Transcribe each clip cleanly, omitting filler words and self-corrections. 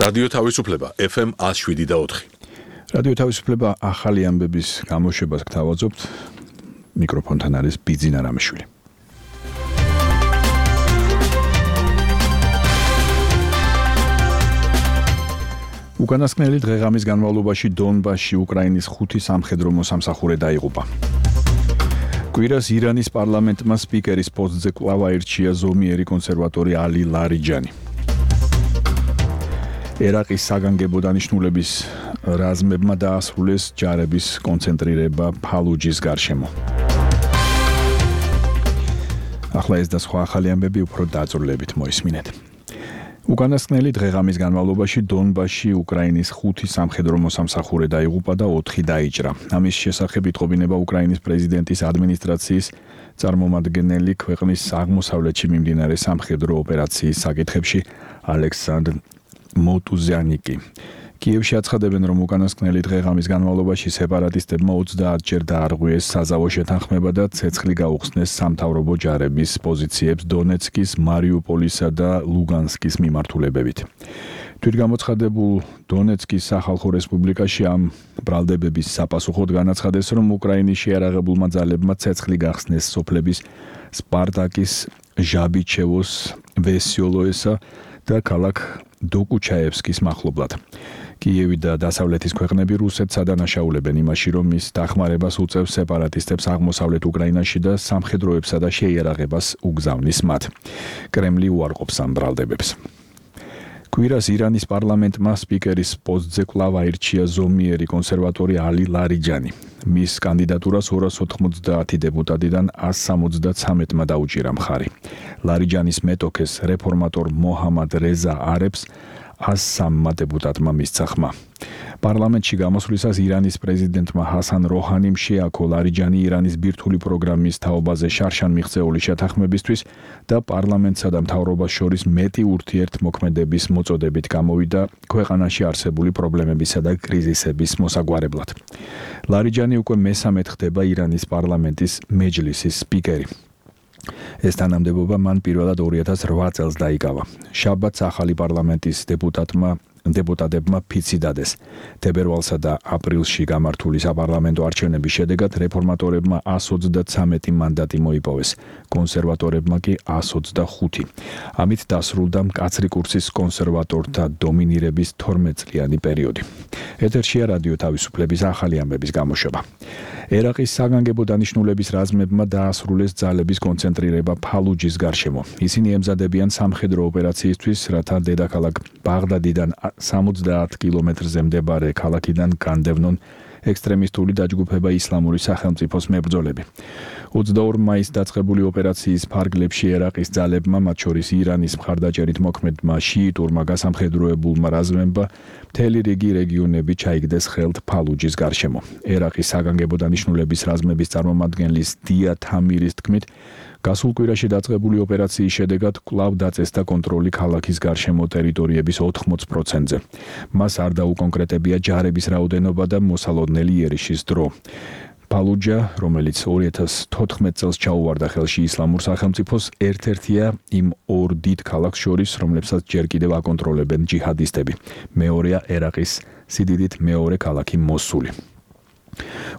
რადიო თავისუფლება FM 107.4. რადიო თავისუფლება ახალი ამბების გამოშვებას გთავაზობთ. მიკროფონთან არის ბიძინა რამიშვილი. უკანასკნელი დღე-ღამის განმავლობაში დონბასში უკრაინის 5 სამხედრო მოსამსახურე დაიღუპა. კვირას ირანის პარლამენტმა სპიკერის პოსტზე კვლავ აირჩია ზომიერი კონსერვატორი ალი ლარიჯანი. ერაყის საგანგებო დანიშნულების რაზმებმა დაასრულეს ჯარების კონცენტრირება ფალუჯის გარშემო. ახლა ეს და სხვა ახალი ამბები უფრო დაწვრილებით მოისმინეთ. უკანასკნელი დღე-ღამის განმავლობაში დონბასში უკრაინის 5 სამხედრო მოსამსახურე დაიღუპა და 4 დაიჭრა. ამის შესახებ იტყობინება უკრაინის პრეზიდენტის ადმინისტრაციის წარმომადგენელი ქვეყნის აღმოსავლეთში მიმდინარე სამხედრო ოპერაციის საკითხებში ალექსანდრ მოტუზიანიკი. კიევში აცხადებენ, რომ უკანასკნელი დღე-ღამის განმავლობაში სეპარატისტებმა 30 ჯერ დაარღვიეს საზავო შეთანხმება და ცეცხლი გაუხსნეს სამთავრობო ჯარების პოზიციებს დონეცკის, მარიუპოლისა და ლუგანსკის მიმართულებებით. თვითგამოცხადებულ დონეცკის სახალხო რესპუბლიკაში ამ ბრალდებების საპასუხოდ განაცხადეს, რომ უკრაინის შეიარაღებულმა ძალებმა ცეცხლი გახსნეს სოფლების სპარტაკის, ჟაბიჩევოს, ვესიოლოესა და ქალაქ დოკუჩაევსკის მახლობლად. კიევი და დასავლეთის ქვეყნები რუსეთს ადანაშაულებენ იმაში, რომ ის დახმარებას უწევს სეპარატისტებს აღმოსავლეთ უკრაინაში და სამხედროებსა და შეიარაღებას უგზავნის მათ. კრემლი უარყოფს ამ ბრალდებებს. კვირას ირანის პარლამენტმა სპიკერის პოსტზე კვლავ აირჩია ზომიერი კონსერვატორი ალი ლარიჯანი. მის კანდიდატურას 290 დეპუტატიდან 173-მა დაუჭირა მხარი. ლარიჯანის მეტოქეს რეფორმატორ მოჰამად რეზა არებს 103 დეპუტატმა მისცა ხმა. პარლამენტში გამოსვლისას ირანის პრეზიდენტმა ჰასან როჰანიმ შეაქო ლარიჯანი ირანის ბირთვული პროგრამის თაობაზე შარშან მიღწეული შეთანხმებისთვის და პარლამენტსა და მთავრობას შორის მეტი ურთიერთმოქმედების მოწოდებით გამოვიდა ქვეყანაში არსებული პრობლემებისა და კრიზისების მოსაგვარებლად. ლარიჯანი უკვე მესამედ ხდება ირანის პარლამენტის მეჯლისის სპიკერი. ეს თანამდებობა მან პირველად 2008 წელს დაიკავა. შაბათს ახალი პარლამენტის დეპუტატებმა ფიცი დადეს. თებერვალსა და აპრილში გამართული საპარლამენტო არჩევნების შედეგად რეფორმატორებმა 133 მანდატი მოიპოვეს, კონსერვატორებმა კი 125. ამით დასრულდა მკაცრი კურსის კონსერვატორთა დომინირების 12 წლიანი პერიოდი. ეთერშია რადიო თავისუფლების ახალი ამბების გამოშვება. ერაყის საგანგებო დანიშნულების რაზმებმა დაასრულეს ძალების კონცენტრირება ფალუჯის გარშემო. ისინი ემზადებიან სამხედრო ოპერაციისთვის, რათა დედაქალაქ ბაღდადიდან 70 კილომეტრზე მდებარე ქალაქიდან განდევნონ ექსტრემისტული დაჯგუფება ისლამური სახელმწიფოს მებრძოლები. 22 მაისს დაწყებული ოპერაციის ფარგლებში ერაყის ძალებმა, მათ შორის ირანის მხარდაჭერით მოქმედმა შიიტურმა გასამხედროებულმა რაზმებმა მთელი რიგი რეგიონები ჩაიგდეს ხელთ ფალუჯის გარშემო. ერაყის საგანგებო დანიშნულების რაზმების წარმომადგენლის დია თამირის თქმით, გასულ კვირაში დაწყებული ოპერაციის შედეგად კვლავ დაწესდა კონტროლი ქალაქის გარშემო ტერიტორიების 80%-ზე. მას არ დაუკონკრეტებია ჯარების რაოდენობა და მოსალოდნელი იერიშის დრო. ფალუჯა, რომელიც 2014 წელს ჩაუვარდა ხელში ისლამურ სახელმწიფოს, ერთ-ერთია იმ ორ დიდ ქალაქს შორის, რომლებსაც ჯერ კიდევ აკონტროლებენ ჯიჰადისტები. მეორეა ერაყის სიდიდით მეორე ქალაქი მოსული.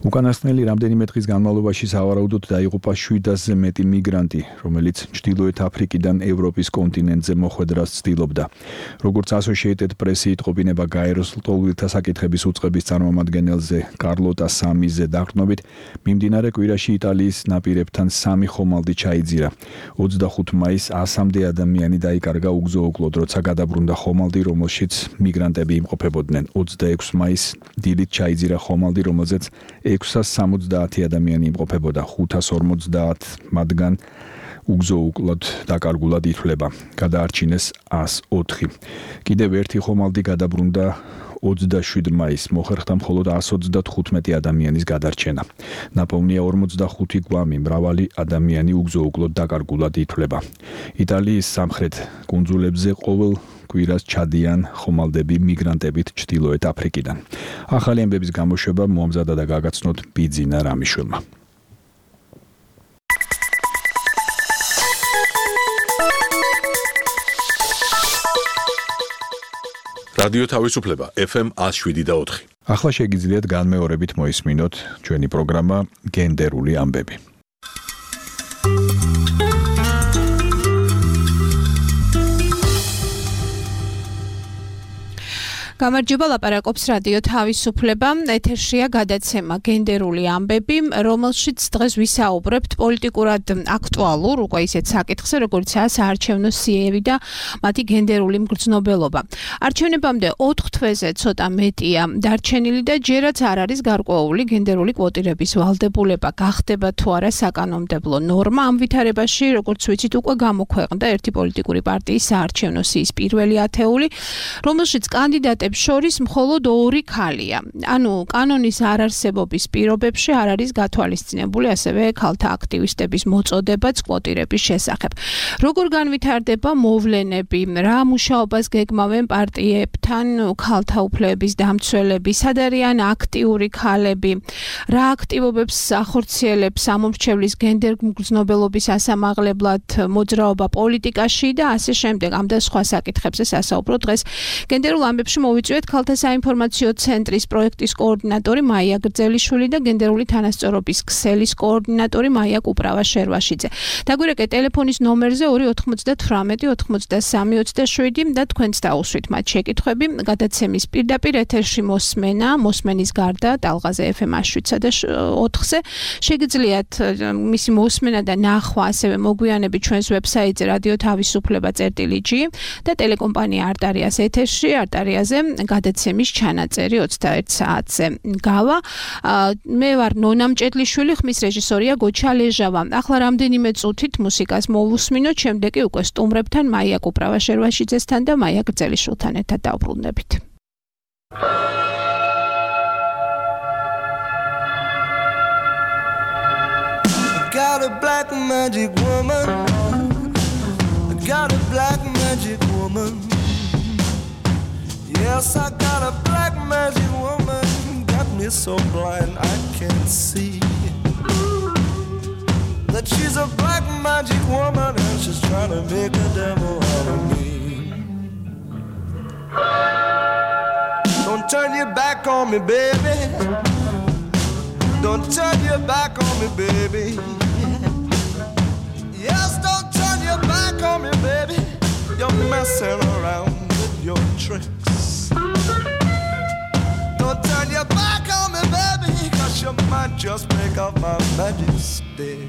უკანასკნელი რამდენიმე დღის განმავლობაში სავარაუდოდ დაიღუპა 700-ზე მეტი მიგრანტი, რომელიც ჩრდილოეთ აფრიკიდან ევროპის კონტინენტზე მოხვედრას ცდილობდა. როგორც Associated Press-ი იტყობინება გაეროს ლტოლვილთა საკითხების უწყების წარმომადგენელზე კარლოტა სამიზე დაყრდნობით, მიმდინარე კვირაში იტალიის ნაპირებთან 3 ხომალდი ჩაიძირა. 25 მაისს 100-მდე ადამიანი დაიკარგა უგზო-უკლოდ, როცა გადაბრუნდა ხომალდი, რომელშიც მიგრანტები იმყოფებოდნენ. 26 მაისს დილით ჩაიძირა ხომალდი, რომელზეც 670 ადამიანი იმყოფებოდა, 550 მათგან უგზო-უკლოდ დაკარგულად ითვლება. გადაარჩინეს 104. კიდევ ერთი ხომალდი გადაბრუნდა 27 მაისს, მოხერხდა მხოლოდ 135 ადამიანის გადარჩენა. ნაპოვნია 45 გვამი, მრავალი ადამიანი უგზო-უკლოდ დაკარგულად ითვლება. იტალიის სამხრეთ კუნძულებზე ყოველ კვირას ჩადიან ხომალდები მიგრანტებით ჩრდილოეთ აფრიკიდან. ახალი ამბების გამოშვება მოამზადა და გაგაცნოთ ბიძინა რამიშვილმა. რადიო თავისუფლება FM 107.4. ახლა შეგიძლიათ განმეორებით მოისმინოთ ჩვენი პროგრამა გენდერული ამბები. გამარჯობა, ლაპარაკობს რადიო თავისუფლება. ეთერშია გადაცემა გენდერული ამბები, რომელშიც დღეს ვისაუბრებთ პოლიტიკურად აქტუალურ, უკვე ისეთ საკითხზე, როგორიცაა საარჩევნო სიები და მათი გენდერული მგრძნობელობა. არჩევნებამდე 4 თვეზე ცოტა მეტია დარჩენილი და ჯერაც არ არის გარკვეული გენდერული კვოტირების ვალდებულება გახდება თუ არა საკანონმდებლო ნორმა. ამ ვითარებაში, როგორც ვიცით, უკვე გამოქვეყნდა ერთი პოლიტიკური პარტიის საარჩევნო სიის პირველი ათეული, რომელშიც კანდიდატები შორის მხოლოდ 2 ქალია. ანუ კანონის არარსებობის პირობებში არ არის გათვალისწინებული ასევე ქალთა აქტივისტების მოწოდებაც კვოტირების შესახებ. როგორ განვითარდება მოვლენები, რა მუშაობას გეგმავენ პარტიებთან ქალთა უფლებების დამცველები, სად არიან აქტიური ქალები, რა აქტივობებს ახორციელებს სამომრჩევლის გენდერ მგრძნობელობის ასამაღლებლად მოძრაობა პოლიტიკაში და ასე შემდეგ. ამ და სხვა საკითხებზე სასაუბრო დღეს გენდერულ ამბებში მოვიწვიეთ ქალთა საინფორმაციო ცენტრის პროექტის კოორდინატორი მაია გრძელიშვილი და გენდერული თანასწორობის ქსელის კოორდინატორი მაია კუპრავა-შერვაშიძე. დაგვირეკე ტელეფონის ნომერზე 298 93 27 და თქვენც დაუსვით მათ შეკითხვები. გადაცემის პირდაპირ ეთერში მოსმენის გარდა ტალღაზე FM 107 და 4-ზე შეგიძლიათ მისი მოსმენა და ნახვა ასევე მოგვიანებით ჩვენს ვებსაიტზე რადიო თავისუფლება.gr და ტელეკომპანია არტარიას ეთერში არტარიაზე გადაცემის ჩანაწერი 21 საათზე გავა. მე ვარ ნონა მჭედლიშვილი, ხმის რეჟისორია გოჩა ლეჟავა. ახლა რამდენიმე წუთით მუსიკას მოვუსმინოთ, შემდეგ კი უკვე სტუმრებთან მაია კუპრავა-შერვაშიძესთან და მაია გრძელიშვილთან ერთად დავბრუნდებით. Got a black magic woman. Got a black magic woman. Yes, I got a black magic woman. Got me so blind I can't see that she's a black magic woman and she's trying to make a devil out of me. Don't turn your back on me, baby. Don't turn your back on me, baby. Yes, don't turn your back on me, baby. You're messing around with your tricks. Don't turn your back on me, baby, 'cause you might just break off my magic stick.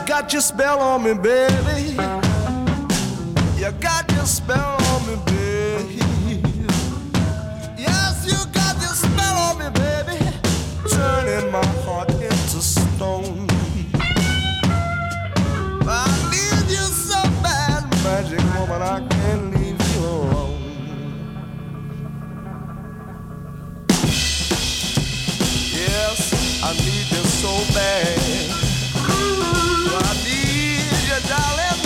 Got your spell on me, baby. You got your spell on me, baby. Yes, you got your spell on me, baby. Turning my heart into stone. I need you so bad, magic woman, I can't leave you alone. Yes, I need you so bad. I need you, darling.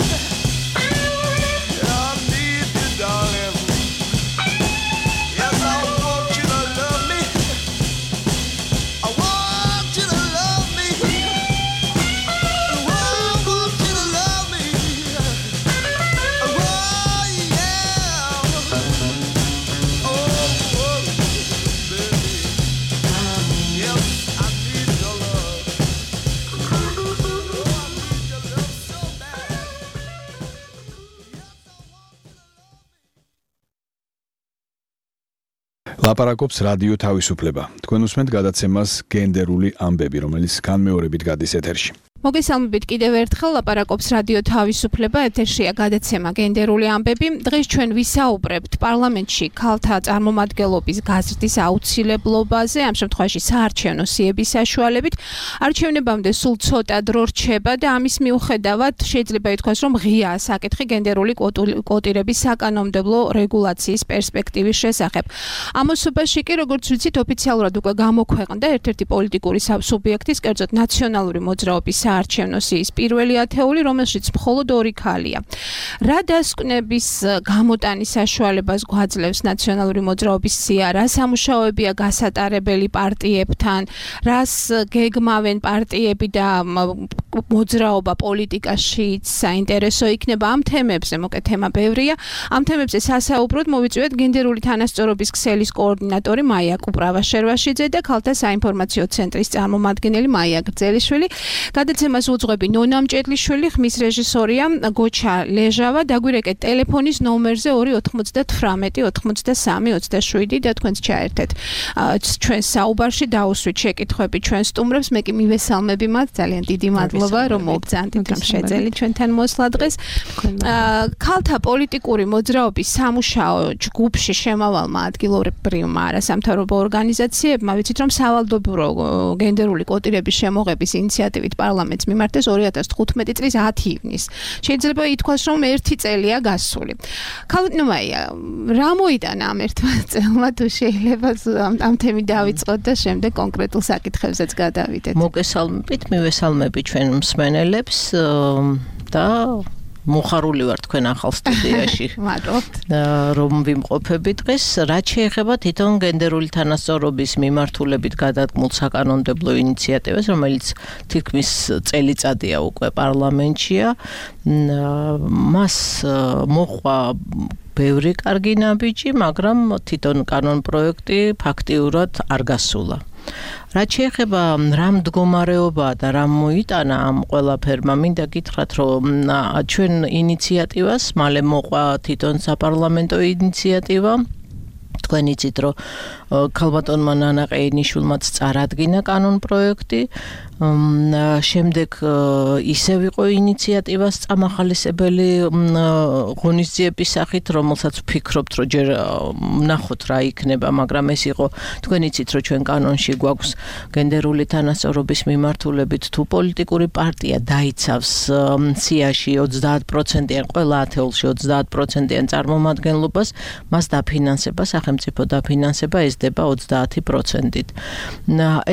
ლაპარაკობს რადიო თავისუფლება. თქვენ უსმენთ გადაცემას გენდერული ამბები, რომელიც განმეორებით გადის ეთერში. მოგესალმებით კიდევ ერთხელ ლაპარაკობს რადიო თავისუფლება, ეთერშია გადაცემა გენდერული ამბები. დღეს ჩვენ ვისაუბრებთ პარლამენტში ქალთა წარმომადგენლობის გაზრდის აუცილებლობაზე, ამ შემთხვევაში საარჩევნო სიების საშუალებით. არჩევნებამდე სულ ცოტა დრო რჩება და ამის მიუხედავად შეიძლება ითქვას, რომ ღიაა საკითხი გენდერული კვოტირების საკანონმდებლო რეგულაციის პერსპექტივის შესახებ. ამოსობაში კი, როგორც ვიცით, ოფიციალურად უკვე გამოქვეყნდა ერთ-ერთი პოლიტიკური სუბიექტის, კერძოდ ნაციონალური მოძრაობის საარჩევნო სიის პირველი ათეული, რომელშიც მხოლოდ 2 ქალია. რა დასკვნების გამოტანის საშუალებას გვაძლევს ნაციონალური მოძრაობის სია, რა სამუშაოებია გასატარებელი პარტიებთან, რას გეგმავენ პარტიები და მოძრაობა პოლიტიკაშიც საინტერესო იქნება ამ თემებზე, მოკეთ თემა ბევრია. ამ თემებზე სასაუბროდ მოვიწვიეთ გენდერული თანასწორობის ქსელის კოორდინატორი მაია კუპრავაშერვაშიძე და ქალთა საინფორმაციო ცენტრის წარმომადგენელი მაია გრძელიშვილი. გადაცემას უძღვები ნონა მჭედლიშვილი, ხმის რეჟისორია გოჩა ლეჟავა. დაგვირეკეთ ტელეფონის ნომერზე 298 83 27 და თქვენც ჩაერთეთ ჩვენ საუბარში, დაუსვით შეკითხვები ჩვენ სტუმრებს. მე კი მივესალმები მათ, ძალიან დიდი მადლობა რომ მოგბრძანდით, რომ შეძელით ჩვენთან მოსვლა დღეს. ქალთა პოლიტიკური მოძრაობის სამუშაო ჯგუფში შემავალმა ადგილობრივმა არასამთავრობო ორგანიზაციებმა ვიცით, რომ სავალდებულო გენდერული კვოტირების შემოღების ინიციატივით პარლამენტს მიმართეს 2015 წლის 10 ივნისს. შეიძლება ითქვას, რომ 1 წელია გასული. ქალბატონო მაია, რა მოიტანა ამ ერთმა წელმა, თუ შეიძლება ამ თემით დავიწყოთ და შემდეგ კონკრეტულ საკითხებზეც გადავიდეთ. მოგესალმებით, მივესალმები ჩვენ მსმენელებს და მოხარული ვარ თქვენ ახალ სტუდიაში. მადლობთ. რომ ვიმყოფები დღეს, რაც შეეხება თვითონ გენდერული თანასწორობის მიმართულებით გადადგმულ საკანონმდებლო ინიციატივას, რომელიც თითქმის წელიწადია უკვე პარლამენტშია. მას მოყვა ბევრი კარგი ნაბიჯი, მაგრამ თვითონ კანონპროექტი ფაქტიურად არ გასულა. რაც შეეხება რა მდგომარეობაა და რა მოიტანა ამ ყველაფერმა, მინდა გითხრათ, რომ ჩვენ ინიციატივას მალე მოყვა თვითონ საპარლამენტო ინიციატივა. თქვენ იცით, რომ ქალბატონმა ნანა ყეინიშვილმაც წარადგინა კანონპროექტი. შემდეგ ისევ იყო ინიციატივას წამახალისებელი ღონისძიების სახით, რომელსაც ვფიქრობთ, რომ ჯერ ვნახოთ რა იქნება, მაგრამ ეს იყო, თქვენ იცით, რომ ჩვენ კანონში გვაქვს გენდერული თანასწორობის მიმართულებით, თუ პოლიტიკური პარტია დაიცავს სიაში 30%-იან, ყველა ათეულში 30%-იან წარმომადგენლობას, მას დაფინანსება, სახელმწიფო დაფინანსება ესდება 30%-ით.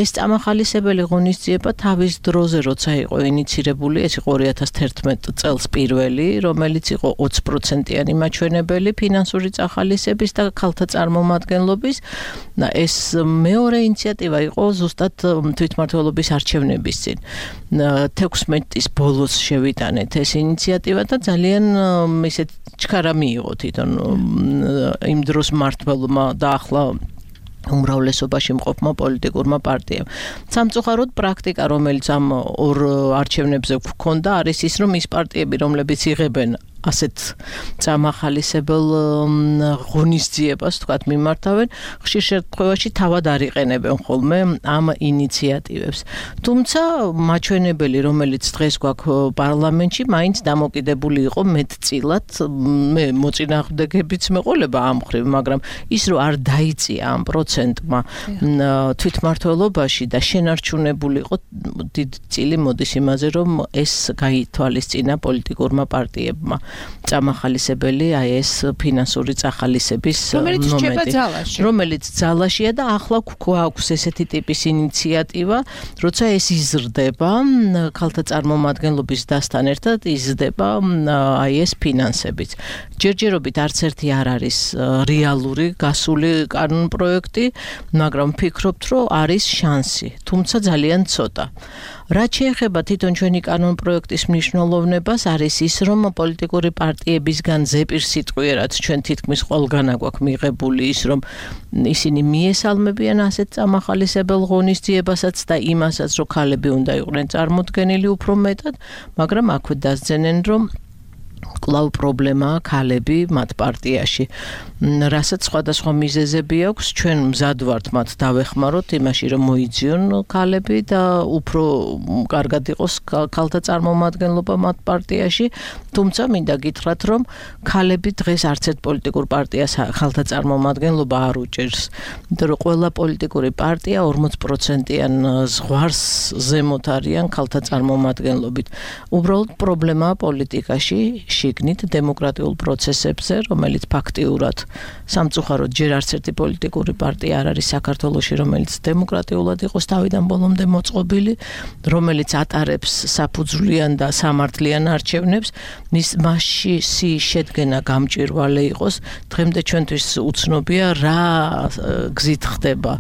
ეს წამახალისებელი ღონისძიება თავის დროზე, როცა იყო ინიცირებული, ეს იყო 2011 წელს პირველი, რომელიც იყო 20%-იანი მაჩვენებელი ფინანსური წახალისების და ქალთა წარმომადგენლობის. ეს მეორე ინიციატივა იყო ზუსტად თვითმმართველობის არჩევნების წინ. 16-ის ბოლოს შევიტანეთ ეს ინიციატივა და ძალიან ისეთ ჩქარა მიიღო თვითონ იმ დროს მმართველმა და ახლა უმრავლესობაში მყოფმა პოლიტიკურმა პარტიამ. სამწუხაროდ პრაქტიკა, რომელიც ამ ორ არჩევნებზე გვქონდა, არის ის, რომ ის პარტიები, რომლებიც იღებენ ასეთ წამახალისებელ ღონისძიებას, თქვათ, მიმართავენ, ხშირ შემთხვევაში თავად არ იყენებენ ხოლმე ამ ინიციატივებს. თუმცა მაჩვენებელი, რომელიც დღეს გვაქვს პარლამენტში, მაინც დამოკიდებული იყო მეტწილად, მე მოწინააღმდეგებიც მეყოლება ამ ხრივ, მაგრამ ის რომ არ დაიწია ამ პროცენტმა თვითმმართველობაში და შენარჩუნებული იყო დიდი წილი მოდის იმაზე, რომ ეს გაითვალისწინა პოლიტიკურმა პარტიებმა. წამახალისებელი აი ეს ფინანსური წახალისების ნომერი, რომელიც ძალაშია და ახლა გვაქვს ესეთი ტიპის ინიციატივა, როცა ეს იზრდება, ქალთა წარმომადგენლობის დასთან ერთად იზრდება აი ეს ფინანსებიც. ჯერჯერობით არც ერთი არ არის რეალური გასული კანონპროექტი, მაგრამ ვფიქრობთ, რომ არის შანსი, თუმცა ძალიან ცოტა. რაც შეეხება თვითონ ჩვენი კანონპროექტის მნიშვნელოვნებას, არის ის, რომ პოლიტიკური პარტიებისგან ზეპირსიტყვიერად ჩვენ თითქმის ყველგან აგვაქვს მიღებული ის, რომ ისინი მიესალმებიან ასეთ წამახალისებელ ღონისძიებასაც და იმასაც, რომ ქალები უნდა იყვნენ წარმოდგენილი უფრო მეტად, მაგრამ აქვე დასძენენ, რომ კვლავ პრობლემაა ქალები მათ პარტიაში. რასაც სხვადასხვა მიზეზები აქვს, ჩვენ მზად ვართ მათ დავეხმაროთ იმაში, რომ მოიძიონ ქალები და უფრო კარგად იყოს ქალთა წარმომადგენლობა მათ პარტიაში, თუმცა მინდა გითხრათ, რომ ქალები დღეს არც ერთ პოლიტიკურ პარტიას ქალთა წარმომადგენლობა არ უჭერს. იმიტომ რომ ყველა პოლიტიკური პარტია 40%-იან ზღვარს ზემოთ არიან ქალთა წარმომადგენლობით. უბრალოდ პრობლემაა პოლიტიკაში, შიგნით დემოკრატიულ პროცესებზე, რომელიც ფაქტიურად სამწუხაროდ ჯერ არც ერთი პოლიტიკური პარტია არ არის საქართველოში, რომელიც დემოკრატიულად იყოს თავიდან ბოლომდე მოწყობილი, რომელიც ატარებს საფუძვლიან და სამართლიან არჩევნებს, მასში შედგენა გამჭვირვალე იყოს. დღემდე ჩვენთვის უცნობია რა გზით ხდება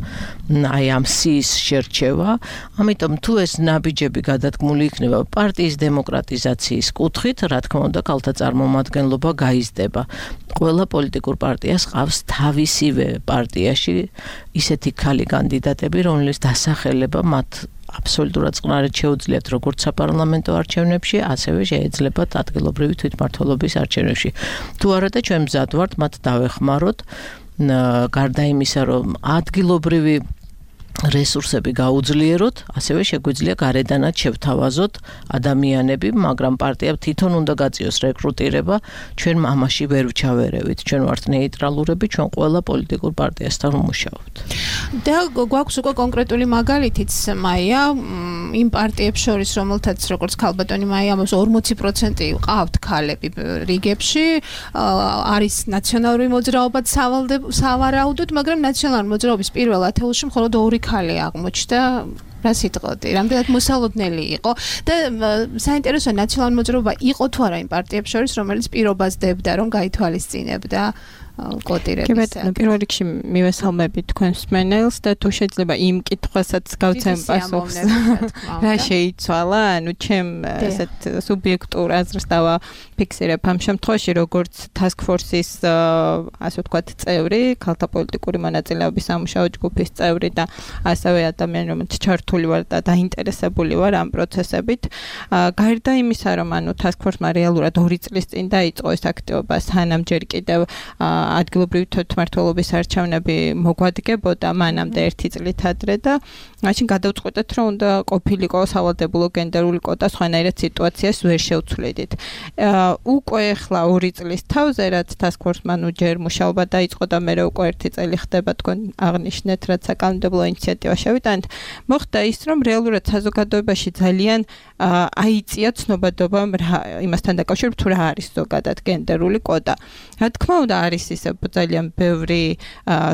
აი ამ სიის შერჩევა. ამიტომ თუ ეს ნაბიჯები გადადგმული იქნება პარტიის დემოკრატიზაციის კუთხით, რა თქმა უნდა, ქალთა წარმომადგენლობა გაიზრდება. ყველა პოლიტიკურ პარტიას ყავს თავისივე პარტიაში ისეთი ქალი კანდიდატები, რომლის დასახელება მათ აბსოლუტურად წყნარად შეუძლიათ როგორც საპარლამენტო არჩევნებში, ასევე შეეძლებათ ადგილობრივი თვითმმართველობის არჩევნებში. თუ არა და ჩვენ მზად ვართ მათ დავეხმაროთ, გარდა იმისა, რომ ადგილობრივი რესურსები გაუძლიეროთ, ასევე შეგვიძლია გარედანაც შევთავაზოთ ადამიანები, მაგრამ პარტიამ თვითონ უნდა გაწიოს რეკრუტირება, ჩვენ ამაში ვერ ვჩავერევით, ჩვენ ვართ ნეიტრალურები, ჩვენ ყველა პოლიტიკურ პარტიასთან ვმუშაობთ. და გვაქვს უკვე კონკრეტული მაგალითიც, მაია, იმ პარტიებს შორის, რომელთაც როგორც ქალბატონი მაია ამბობს 40% ყავთ ქალები რიგებში, არის ნაციონალური მოძრაობაც სავარაუდოდ, მაგრამ ნაციონალური მოძრაობის პირველ ათეულში მხოლოდ 2 ქალი აღმოჩნდა. რა სიტყვოდი, რამდენად მოსალოდნელი იყო და საინტერესოა ნაციონალური მოძრაობა იყო თუ არა იმ პარტიებს შორის, რომელიც პირობას დებდა, რომ გაითვალისწინებდა კოტირების. პირველ რიგში მივესალმები თქვენს მსმენელს და თუ შეიძლება იმ კითხვასაც გავცემ პასუხს. რა შეიცვალა? ანუ ჩემ ესეთ სუბიექტურ აზრს დავაფიქსირებ ამ შემთხვევაში, როგორც task force-ის ასე ვთქვათ წევრი, ქალთა პოლიტიკური მონაწილეობის სამუშაო ჯგუფის წევრი და ასევე ადამიანი, რომელიც ჩართული ვარ და დაინტერესებული ვარ ამ პროცესებით. გარდა იმისა, რომ ანუ task force-მა რეალურად 2 წლის წინ დაიწყო ეს აქტივობა, სანამ ჯერ კიდევ ადგილობრივი თვითმმართველობის არჩევნები მოგვადგებოდა მანამდე 1 წლით ადრე და მაშინ გადავწყვეტეთ, რომ უნდა ყოფილიყო სავალდებულო გენდერული კვოტა, სხვანაირად სიტუაციას ვერ შევცვლიდით. უკვე ახლა 2 წლის თავზე, რაც task force-მა ჯერ მუშაობა დაიწყო და მე უკვე 1 წელი ხდება თქვენ აღნიშნეთ, რაც საკანონმდებლო ინიციატივა შევიტანეთ, მოხდა ის, რომ რეალურად საზოგადოებაში ძალიან აიწია ცნობადობა იმასთან დაკავშირებით, თუ რა არის ზოგადად გენდერული კვოტა. რა თქმა უნდა, არის ისე ძალიან ბევრი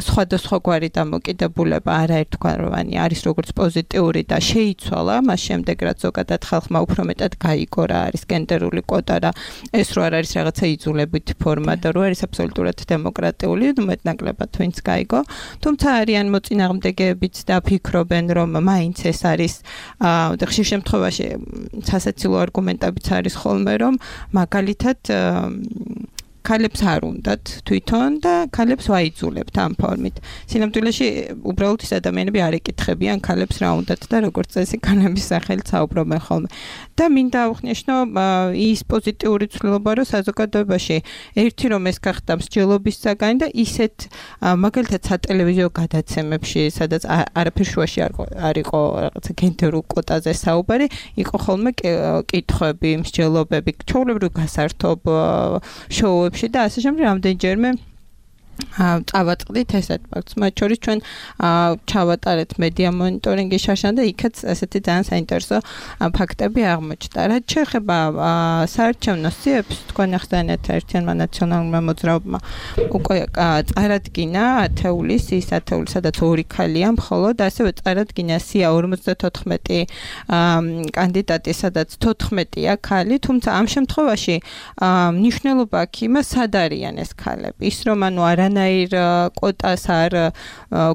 სხვადასხვაგვარი დამოკიდებულება, არაერთგვაროვანი, არის როგორც პოზიტიური და შეიცვალა, მას შემდეგ რაც ზოგადად ხალხმა უფრო მეტად გაიგო რა არის გენდერული კვოტა და ეს რო არ არის რაღაცა იძულებით ფორმა და რო არის აბსოლუტურად დემოკრატიული, მეტნაკლებად ვინც გაიგო. თუმცა არიან მოწინააღმდეგეებიც და ფიქრობენ, რომ მაინც ეს არის და ხშირ შემთხვევაში სასაცილო არგუმენტებიც არის ხოლმე, რომ მაგალითად ქალებს არ უნდათ თვითონ და ქალებს ვაიძულებთ ამ ფორმით. სინამდვილეში უბრალოდ ის ადამიანები არ ეკითხებიან ქალებს რა უნდათ და როგორც წესი ქალების სახელით საუბრობენ ხოლმე. და მინდა აღვნიშნო ის პოზიტიური ცვლილება, რომ საზოგადოებაში ერთი რომ ეს გახდა მსჯელობის საგანი და ისეთ მაგალითად სატელევიზიო გადაცემებში, სადაც არაფერ შუაში არ იყო რაღაცა გენდერულ კვოტაზე საუბარი, იყო ხოლმე კითხვები, მსჯელობები, ჩვეულებრივ გასართობ შოუებში და ასე შემდეგ რამდენჯერმე წავაწყდით ესეთ ფაქტს. მათ შორის ჩვენ ჩავატარეთ მედია მონიტორინგის შაშან და იქაც ესეთი ძალიან საინტერესო ფაქტები აღმოჩნდა. რაც შეეხება საარჩევნო სიებს, თქვენ ახსენეთ ერთიანმა ნაციონალურმა მოძრაობამ უკვე წარადგინა ათეულის, ის ათეული, სადაც 2 ქალია მხოლოდ, ასევე წარადგინა სია 54 კანდიდატი, სადაც 14-ია ქალი, თუმცა ამ შემთხვევაში მნიშვნელობა აქვს იმას, სად არიან ეს ქალები. ის რომ ანუ არანაირ კვოტას არ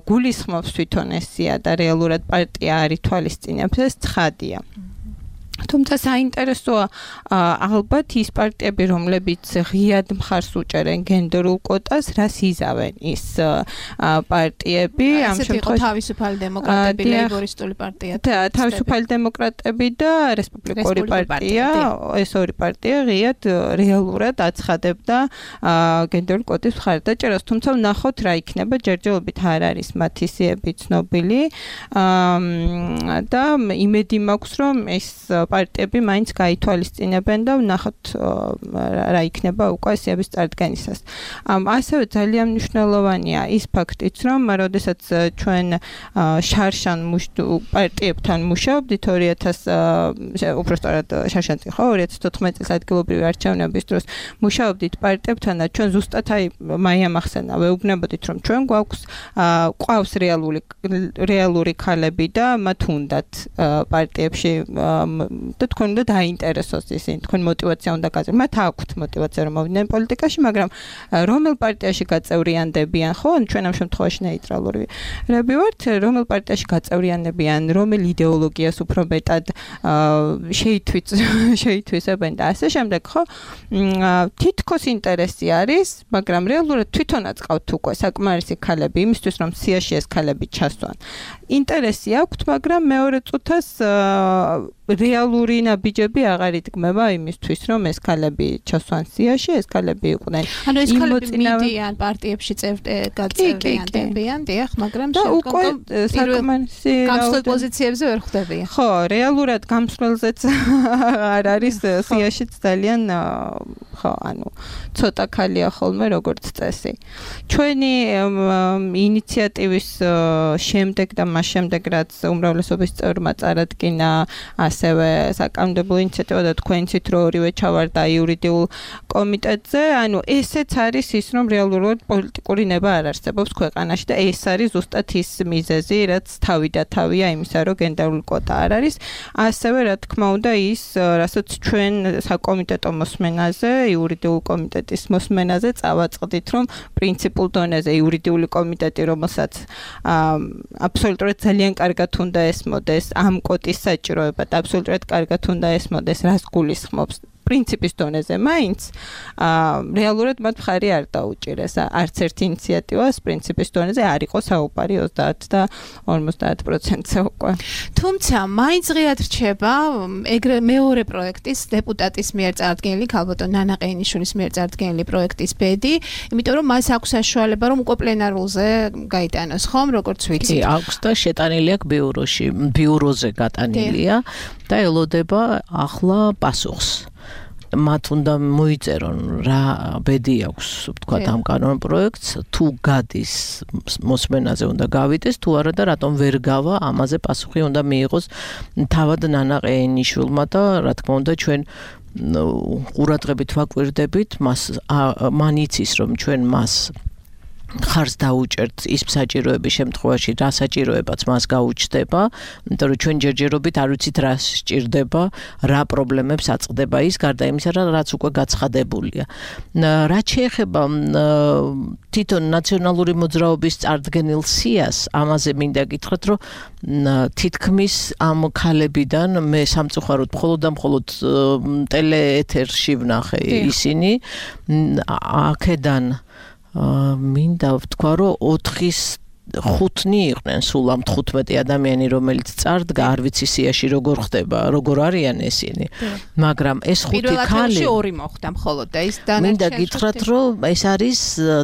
გულისხმობს თვითონ ეს სია და რეალურად პარტია არ ითვალისწინებს, ეს ცხადია. თუმცა საინტერესოა ალბათ ის პარტიები, რომლებიც ღიად მხარს უჭერენ გენდერულ კვოტას, რას იზავენ ის პარტიები, ამ შემთხვევაში თავისუფალი დემოკრატები, ლეიბორისტული პარტია. თავისუფალი დემოკრატები და რესპუბლიკური პარტია, ეს ორი პარტია ღიად რეალურად აცხადებდა გენდერულ კვოტის მხარდაჭერას, თუმცა ვნახოთ რა იქნება, ჯერჯერობით არ არის მათი სიები ცნობილი და იმედი მაქვს, რომ ეს პარტიები მაინც გაითვალისწინებენ და ვნახოთ რა იქნება უკვე სიების წარდგენისას. ასევე ძალიან მნიშვნელოვანია ის ფაქტიც, რომ როდესაც ჩვენ შარშან პარტიებთან მუშაობდით 2014 შარშანში ხო 2014 წლის ადგილობრივი არჩევნების დროს მუშაობდით პარტიებთან და ჩვენ ზუსტად მაია მახსენა ვეუბნებოდით, რომ ჩვენ გვყავს რეალური ქალები და მათ უნდათ პარტიებში და თქვენ უნდა დაინტერესოს ისინი, თქვენ მოტივაცია უნდა გაძლევთ. მათ აქვთ მოტივაცია რომ მოვიდნენ პოლიტიკაში, მაგრამ რომელ პარტიაში გაწევრიანდებიან, ხო? ჩვენ ამ შემთხვევაში ნეიტრალურები ვართ, რომელ პარტიაში გაწევრიანებიან, რომელ იდეოლოგიას უფრო მეტად შეითვისებენ და ასე შემდეგ, ხო? თითქოს ინტერესი არის, მაგრამ რეალურად თვითონაც ყავთ უკვე საკმარისი ქალები იმისთვის, რომ სიაში ეს ქალები ჩასვან. ინტერესი აქვთ, მაგრამ მეორე წუთას რეალური ნაბიჯები აღარ იდგმება იმისთვის, რომ ეს ქალები ჩასვან სიაში, ეს ქალები იყვნენ. ანუ ეს ქალები მიდიან პარტიებში გაწევრიანდებიან, დიახ, მაგრამ უკვე საკმარისი გამსვლელ პოზიციებზე ვერ ხვდებიან. ხო, რეალურად გამსვლელზეც არ არის სიაშიც ძალიან ხო, ანუ ცოტა ქალია ხოლმე როგორც წესი. ჩვენი ინიციატივის შემდეგ და მას შემდეგ, რაც უმრავლესობის წევრმა წარადგინა ასევე საკანონმდებლო ინიციატივა და თქვენიცით რო ორივე ჩავარდა იურიდიულ კომიტეტზე, ანუ ესეც არის ის, რომ რეალურად პოლიტიკური ნება არ არსებობს ქვეყანაში და ეს არის ზუსტად ის მიზეზი, რაც თავი და თავია იმისა, რომ გენდერული კვოტა არ არის. ასევე რა თქმა უნდა ის, რასაც ჩვენ საკომიტეტო მოსმენაზე, იურიდიულ კომიტეტის მოსმენაზე წავაწყდით, რომ პრინციპულ დონეზე იურიდიული კომიტეტი, რომელსაც აბსოლუტურად ძალიან კარგად უნდა ესმოდეს ამ კვოტის საჭიროება და აბსოლუტურად კარგად უნდა ესმოდეს, რას გულისხმობს პრინციპის დონეზე მაინც რეალურად მათ მხარი არ დაუჭირეს. არც ერთ ინიციატივას პრინციპის დონეზე არ იყო საუბარი 30 და 50%-ზე უკვე. თუმცა მაინც ღიად რჩება ეგრე მეორე პროექტის დეპუტატის მიერ წარდგენილი ქალბატონ ნანა ყეინიშვილის მიერ წარდგენილი პროექტის ბედი, იმიტომ რომ მას აქვს საშუალება რომ უკვე პლენარულზე გაიტანოს, ხომ, როგორც ვიცით. აქვს და შეტანილი აქვს ბიუროზე გატანილია და ელოდება ახლა პასუხს. მათ უნდა მოიწერონ რა ბედი აქვს, თქვა ამ კანონ პროექტს, თუ გადის მოსმენაზე უნდა გავიდეს, თუ არა და რატომ ვერ გავა, ამაზე პასუხი უნდა მიიღოს თავად ნანა ყეინიშვილმა და რა თქმა უნდა ჩვენ ყურადღებით ვაკვირდებით, მან იცის რომ ჩვენ მას ხარს დაუჭერთ ის საჭიროების შემთხვევაში, რა საჭიროებაც მას გაუჩნდება, იმიტომ რომ ჩვენ ჯერჯერობით არ ვიცით რა სჭირდება, რა პრობლემებს აწყდება ის, გარდა იმისა, რაც უკვე გაცხადებულია. რაც შეეხება თვითონ ნაციონალური მოძრაობის წარდგენილ სიას, ამაზე მინდა გითხრათ, რომ თითქმის ამ ქალებიდან მე სამწუხაროდ მხოლოდ ტელეეთერში ვნახე ისინი, აქედან მინდა ვთქვა, რომ 4-5 იყვნენ სულ ამ 15 ადამიანი, რომელიც წარდგა, არ ვიცი სიაში როგორ ხდება, როგორ არიან ესენი. მაგრამ ეს 5 ქალი პირველ 2 მოხდა მხოლოდ და ის მინდა გითხრათ, რომ ეს არის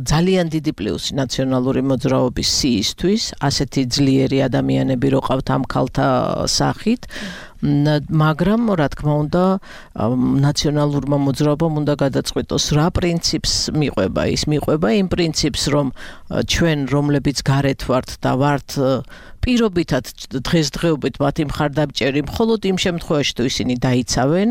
ძალიან დიდი პლუსი ნაციონალური მოძრაობის სიისთვის, ასეთი ძლიერი ადამიანები რო ყავთ ამ ქალთა სახით. მაგრამ რა თქმა უნდა ნაციონალურმა მოძრაობამ უნდა გადაწყვიტოს რა პრინციპს მიყვება ის მიყვება იმ პრინციპს რომ ჩვენ რომლებიც გარეთ ვართ და ვართ პირობითად დღესდღეობით მათი მხარდამჭერი მხოლოდ იმ შემთხვევაში თუ ისინი დაიცავენ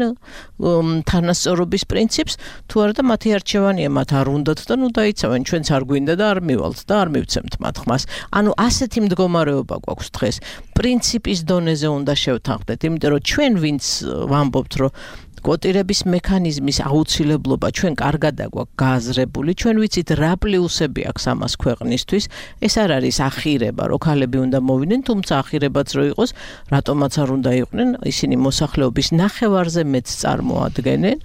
თანასწორობის პრინციპს თუ არა და მათი არჩევანია მათ არ უნდათ და ნუ დაიცავენ ჩვენც არ გვინდა და არ მივალთ და არ მივცემთ მათ ხმას ანუ ასეთი მდგომარეობა გვაქვს დღეს პრინციპის დონეზე უნდა შევთანხმდეთ იმიტომ რომ ჩვენ ვინც ვამბობთ რომ კვოტირების მექანიზმის აუცილებლობა ჩვენ კარგად აგვაქვს გააზრებული, ჩვენ ვიცით რა პლუსები აქვს ამას ქვეყნისთვის, ეს არ არის ახირება, რომ ქალები უნდა მოვიდნენ, თუმცა ახირებაც რო იყოს, რატომაც არ უნდა იყვნენ, ისინი მოსახლეობის ნახევარზე მეც წარმოადგენენ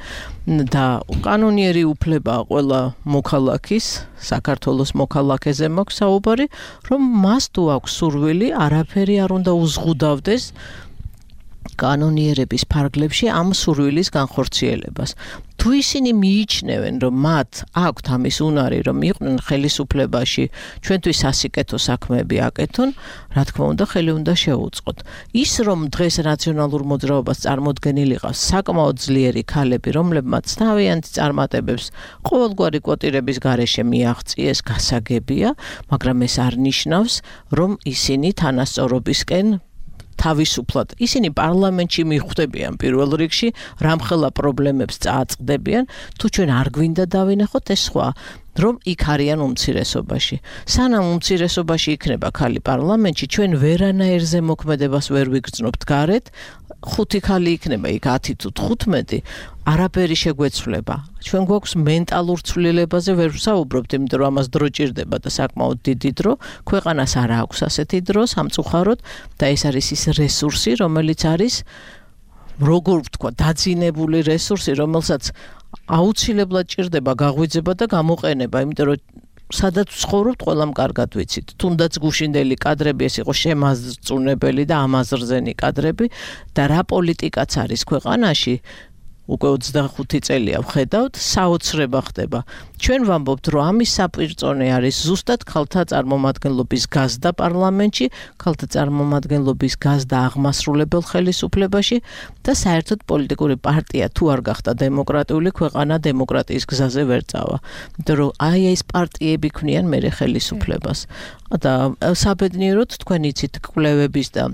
და კანონიერი უფლებაა ყველა მოქალაქის, საქართველოს მოქალაქეზე მაქვს საუბარი, რომ მას თუ აქვს სურვილი, არაფერი არ უნდა უზღუდავდეს კანონიერების ფარგლებში ამ სურვილის განხორციელებას. თუ ისინი მიიჩნევენ, რომ მათ აქვთ ამის უნარი, რომ იყვნენ ხელისუფლებაში, ჩვენთვის სასიკეთო საქმეები აკეთონ, რა თქმა უნდა, ხელი უნდა შეუწყოთ. ის, რომ დღეს რაციონალურ მოძრაობას წარმოდგენილი ყავს საკმაოდ ძლიერი ქალები, რომლებმაც თავიანთი წარმატებებს ყოველგვარი კვოტირების გარეშე მიაღწიეს, გასაგებია, მაგრამ ეს არ ნიშნავს, რომ ისინი თანასწორობისკენ თავისუფლად. ისინი პარლამენტში მიხვდებიან პირველ რიგში, რამხელა პრობლემებს წააწყდებიან, თუ ჩვენ არ გვინდა დავინახოთ ეს სხვა, რომ იქ არიან უმცირესობაში. სანამ უმცირესობაში იქნება ქალი პარლამენტში, ჩვენ ვერანაირზე მოქმედებას ვერ ვიგრძნობთ გარეთ, 5 ქალი იქნება იქ 10 თუ 15, არაფერი შეგვეცვლება. ჩვენ გვაქვს მენტალურ ცვლილებაზე ვერ ვსაუბრობთ, იმიტომ რომ ამას დრო ჭირდება და საკმაოდ დიდი დრო, ქვეყანას არ აქვს ასეთი დრო სამწუხაროდ და ეს არის ის რესურსი, რომელიც არის როგორ ვთქვა, დაძინებული რესურსი, რომელსაც აუცილებლად ჭირდება გაღვიძება და გამოყენება, იმიტომ რომ სადაც ვცხოვრობთ, ყველამ კარგად ვიცით. თუნდაც გუშინდელი კადრები ეს იყო შემაზრწუნებელი და ამაზრზენი კადრები და რა პოლიტიკაც არის ქვეყანაში, უკვე 25 წელია ვხედავთ, საოცრება ხდება. ჩვენ ვამბობთ, რომ ამის საპირწონე არის ზუსტად ქალთა წარმომადგენლობის გაზდა პარლამენტში, ქალთა წარმომადგენლობის გაზდა აღმასრულებელ ხელისუფლებაში და საერთოდ პოლიტიკური პარტია თუ არ გახდა დემოკრატიული ქვეყანა დემოკრატიის გზაზე ვერ წავა. იმიტომ რომ აი ეს პარტიები ქმნიან მერე ხელისუფლებას. და საბედნიეროდ თქვენ იცით კვლევების და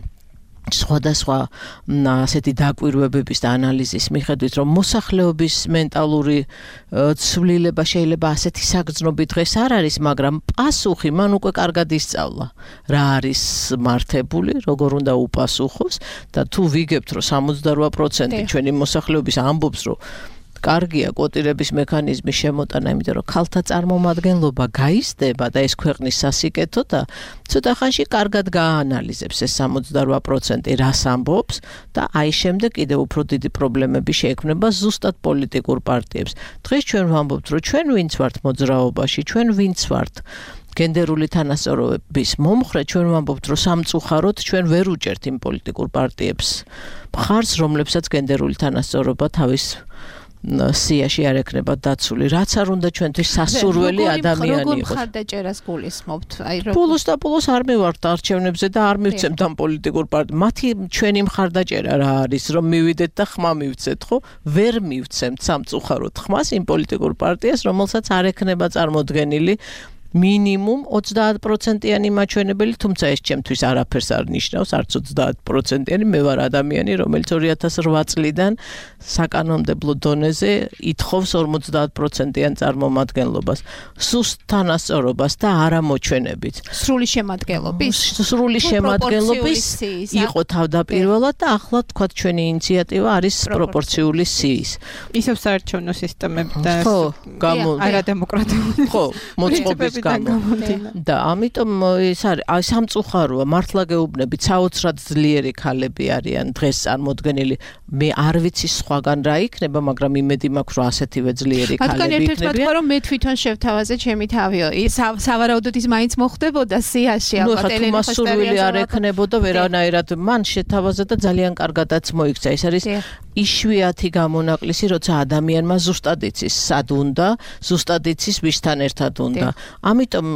სხვადასხვა ასეთი დაკვირვებების და ანალიზის მიხედვით, რომ მოსახლეობის მენტალური ცვლილება შეიძლება ასეთი საგრძნობი დღეს არ არის, მაგრამ პასუხი მან უკვე კარგად ისწავლა, რა არის მართებული, როგორ უნდა უპასუხოს და თუ ვიგებთ, რომ 78% ჩვენი მოსახლეობის ამბობს, რომ კარგია კვოტირების მექანიზმის შემოტანა, იმიტომ რომ ქალთა წარმომადგენლობა გაიზრდება და ეს ქვეყნის სასიკეთო და ცოტა ხანში კარგად გააანალიზებს ეს 78% რას ამბობს და აი შემდეგ კიდევ უფრო დიდი პრობლემები შეექმნება ზუსტად პოლიტიკურ პარტიებს. დღეს ჩვენ ვამბობთ, რომ ჩვენ ვინც ვართ მოძრაობაში, ჩვენ ვინც ვართ გენდერული თანასწორობის მომხრე, ჩვენ ვამბობთ, რომ სამწუხაროდ ჩვენ ვერ უჭერთ იმ პოლიტიკურ პარტიებს მხარს, რომლებსაც გენდერული თანასწორობა თავის სიაში არ ექნება დაცული, რაც არ უნდა ჩვენთვის სასურველი ადამიანი იყოს. როგორ მხარდაჭერას გულისხმობთ? ბოლოს და ბოლოს არ მივართ არჩევნებზე და არ მივცემთ ამ პოლიტიკურ პარტიებს. მათი ჩვენი მხარდაჭერა რა არის, რომ მივიდეთ და ხმა მივცეთ, ხო? ვერ მივცემთ სამწუხაროდ ხმას იმ პოლიტიკურ პარტიას, რომელსაც არ ექნება წარმოდგენილი მინიმუმ 30%-იანი მაჩვენებელი, თუმცა ეს ჩემთვის არაფერს არ ნიშნავს, არც 30%-იანი, მე ვარ ადამიანი, რომელიც 2008 წლიდან საკანონმდებლო დონეზე ითხოვს 50%-იან წარმომადგენლობას, სუსტ თანასწორობას და არა მოჩვენებით. სრული შემადგენლობის? სრული შემადგენლობის იყო თავდაპირველად და ახლა თქვა ჩვენი ინიციატივა არის პროპორციული სიის. ისევ საარჩევნო სისტემები და არადემოკრატიული. ხო, მოწყობის და ამიტომ ეს არის სამწუხაროა, მართლა გეუბნებით, საოცრად ძლიერი ქალები არიან დღეს წარმოდგენილი. მე არ ვიცი სხვაგან რა იქნება, მაგრამ იმედი მაქვს, რომ ასეთივე ძლიერი ქალები იქნებიან. მათგან ერთ-ერთი თქვა, რომ მე თვითონ შევთავაზე ჩემი თავიო. სავარაუდოდ ის მაინც მოხდებოდა სიაში, ალბათ ელენე მასურვილი არ ექნებოდა ვერანაირად. მან შეთავაზა და ძალიან კარგადაც მოიქცა. ეს არის იშვიათი გამონაკლისი, როცა ადამიანმა ზუსტად იცის, სად უნდა, ზუსტად იცის, ვისთან ერთად უნდა. ამიტომ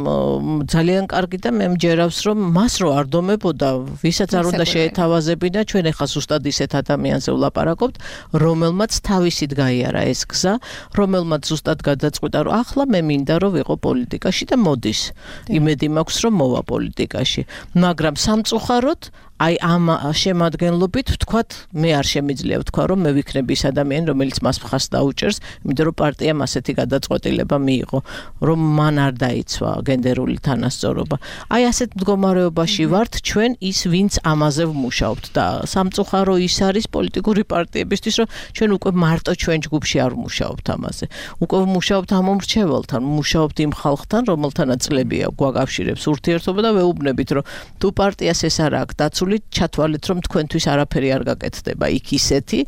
ძალიან კარგი და მე მჯერავს, რომ მას რო არ დომებოდა, ვისაც არ უნდა შეეთავაზებინა, ჩვენ ახლა ზუსტად ისეთ ადამიანზე ვლაპარაკობთ, რომელმაც თავისით გაიარა ეს გზა, რომელმაც ზუსტად გადაწყვიტა, რომ ახლა მე მინდა რომ ვიყო პოლიტიკაში და მოდის. იმედი მაქვს, რომ მოვა პოლიტიკაში. მაგრამ სამწუხაროდ აი ამ შემადგენლობით ვთქვათ, მე არ შემიძლია ვთქვა, რომ მე ვიქნები ის ადამიანი, რომელიც მას მხარს დაუჭერს, იმიტომ რომ პარტიამ ასეთი გადაწყვეტილება მიიღო, რომ მან არ დაიცვა გენდერული თანასწორობა. აი ასეთ მდგომარეობაში ვართ ჩვენ ის, ვინც ამაზე ვმუშაობთ და სამწუხარო ის არის პოლიტიკური პარტიებისთვის, რომ ჩვენ უკვე მარტო ჩვენ ჯგუფში არ ვმუშაობთ ამაზე. უკვე ვმუშაობთ ამ მომრჩეველთან, ვმუშაობთ იმ ხალხთან, რომელთანაც წლებია გვაკავშირებს ურთიერთობა და ვეუბნებით, რომ თუ პარტიას ეს არ აქვს დაცული, ჩათვალეთ, რომ თქვენთვის არაფერი არ გაკეთდება იქ ისეთი,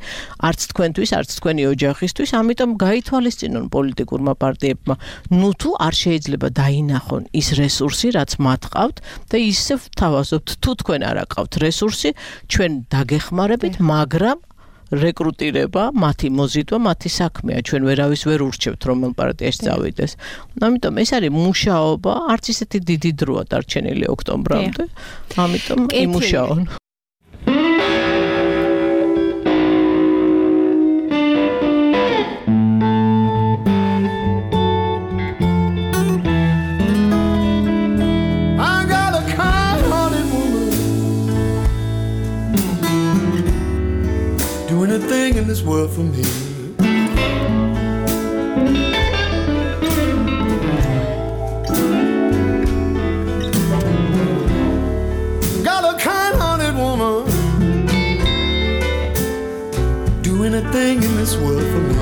არც თქვენთვის, არც თქვენი ოჯახისთვის, ამიტომ გაითვალისწინონ პოლიტიკურმა პარტიებმა, ნუ თუ არ შეიძლება დაინახონ ის რესურსი, რაც მათ ყავთ და ისე ვთავაზობთ, თუ თქვენ არ აყავთ რესურსი, ჩვენ დაგეხმარებით, მაგრამ რეკრუტირება, მათი მოზიდვა, მათი საქმეა. ჩვენ ვერავის ვერ ურჩევთ, რომელ პარტიაში წავიდეს. ამიტომ ეს არის მუშაობა, არც ისეთი დიდი დროა დარჩენილი ოქტომბრამდე. ამიტომ იმუშაონ. Thing in this world for me. Got a kind-hearted woman, do anything in this world for me.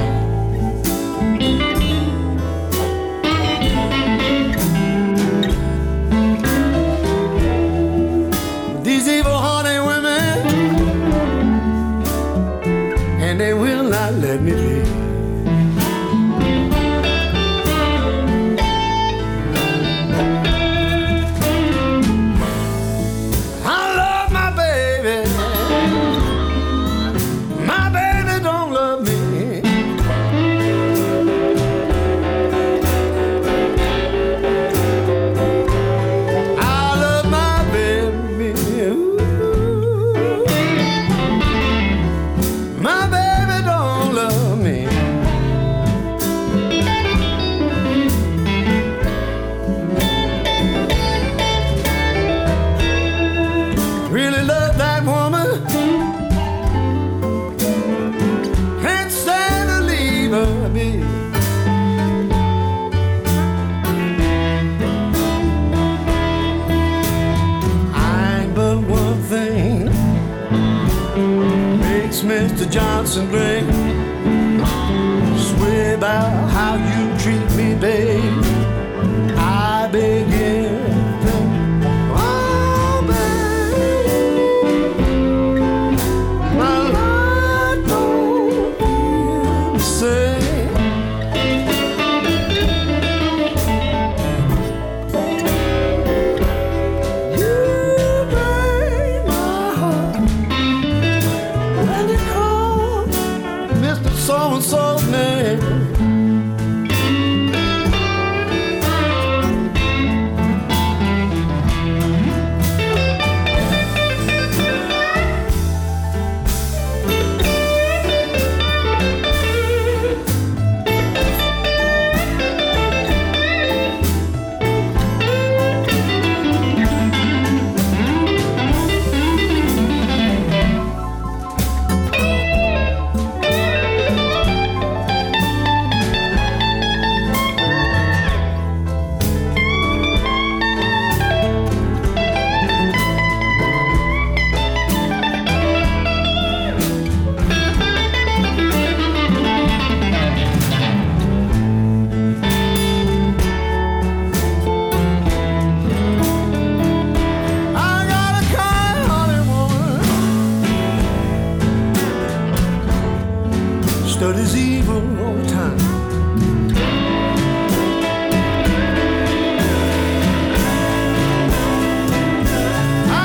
These evil hearted women, and they will not let me live. I love my baby. My baby don't love me. I love my baby. My baby don't love me. Really love that woman. Can't stand to leave her, baby. I ain't but one thing makes Mr. Johnson great. Swear about how you treat me, babe. I begin to think, oh, babe, my life don't feel the same. You break my heart when you call Mr. So-and-so's name. Studies evil all the time. I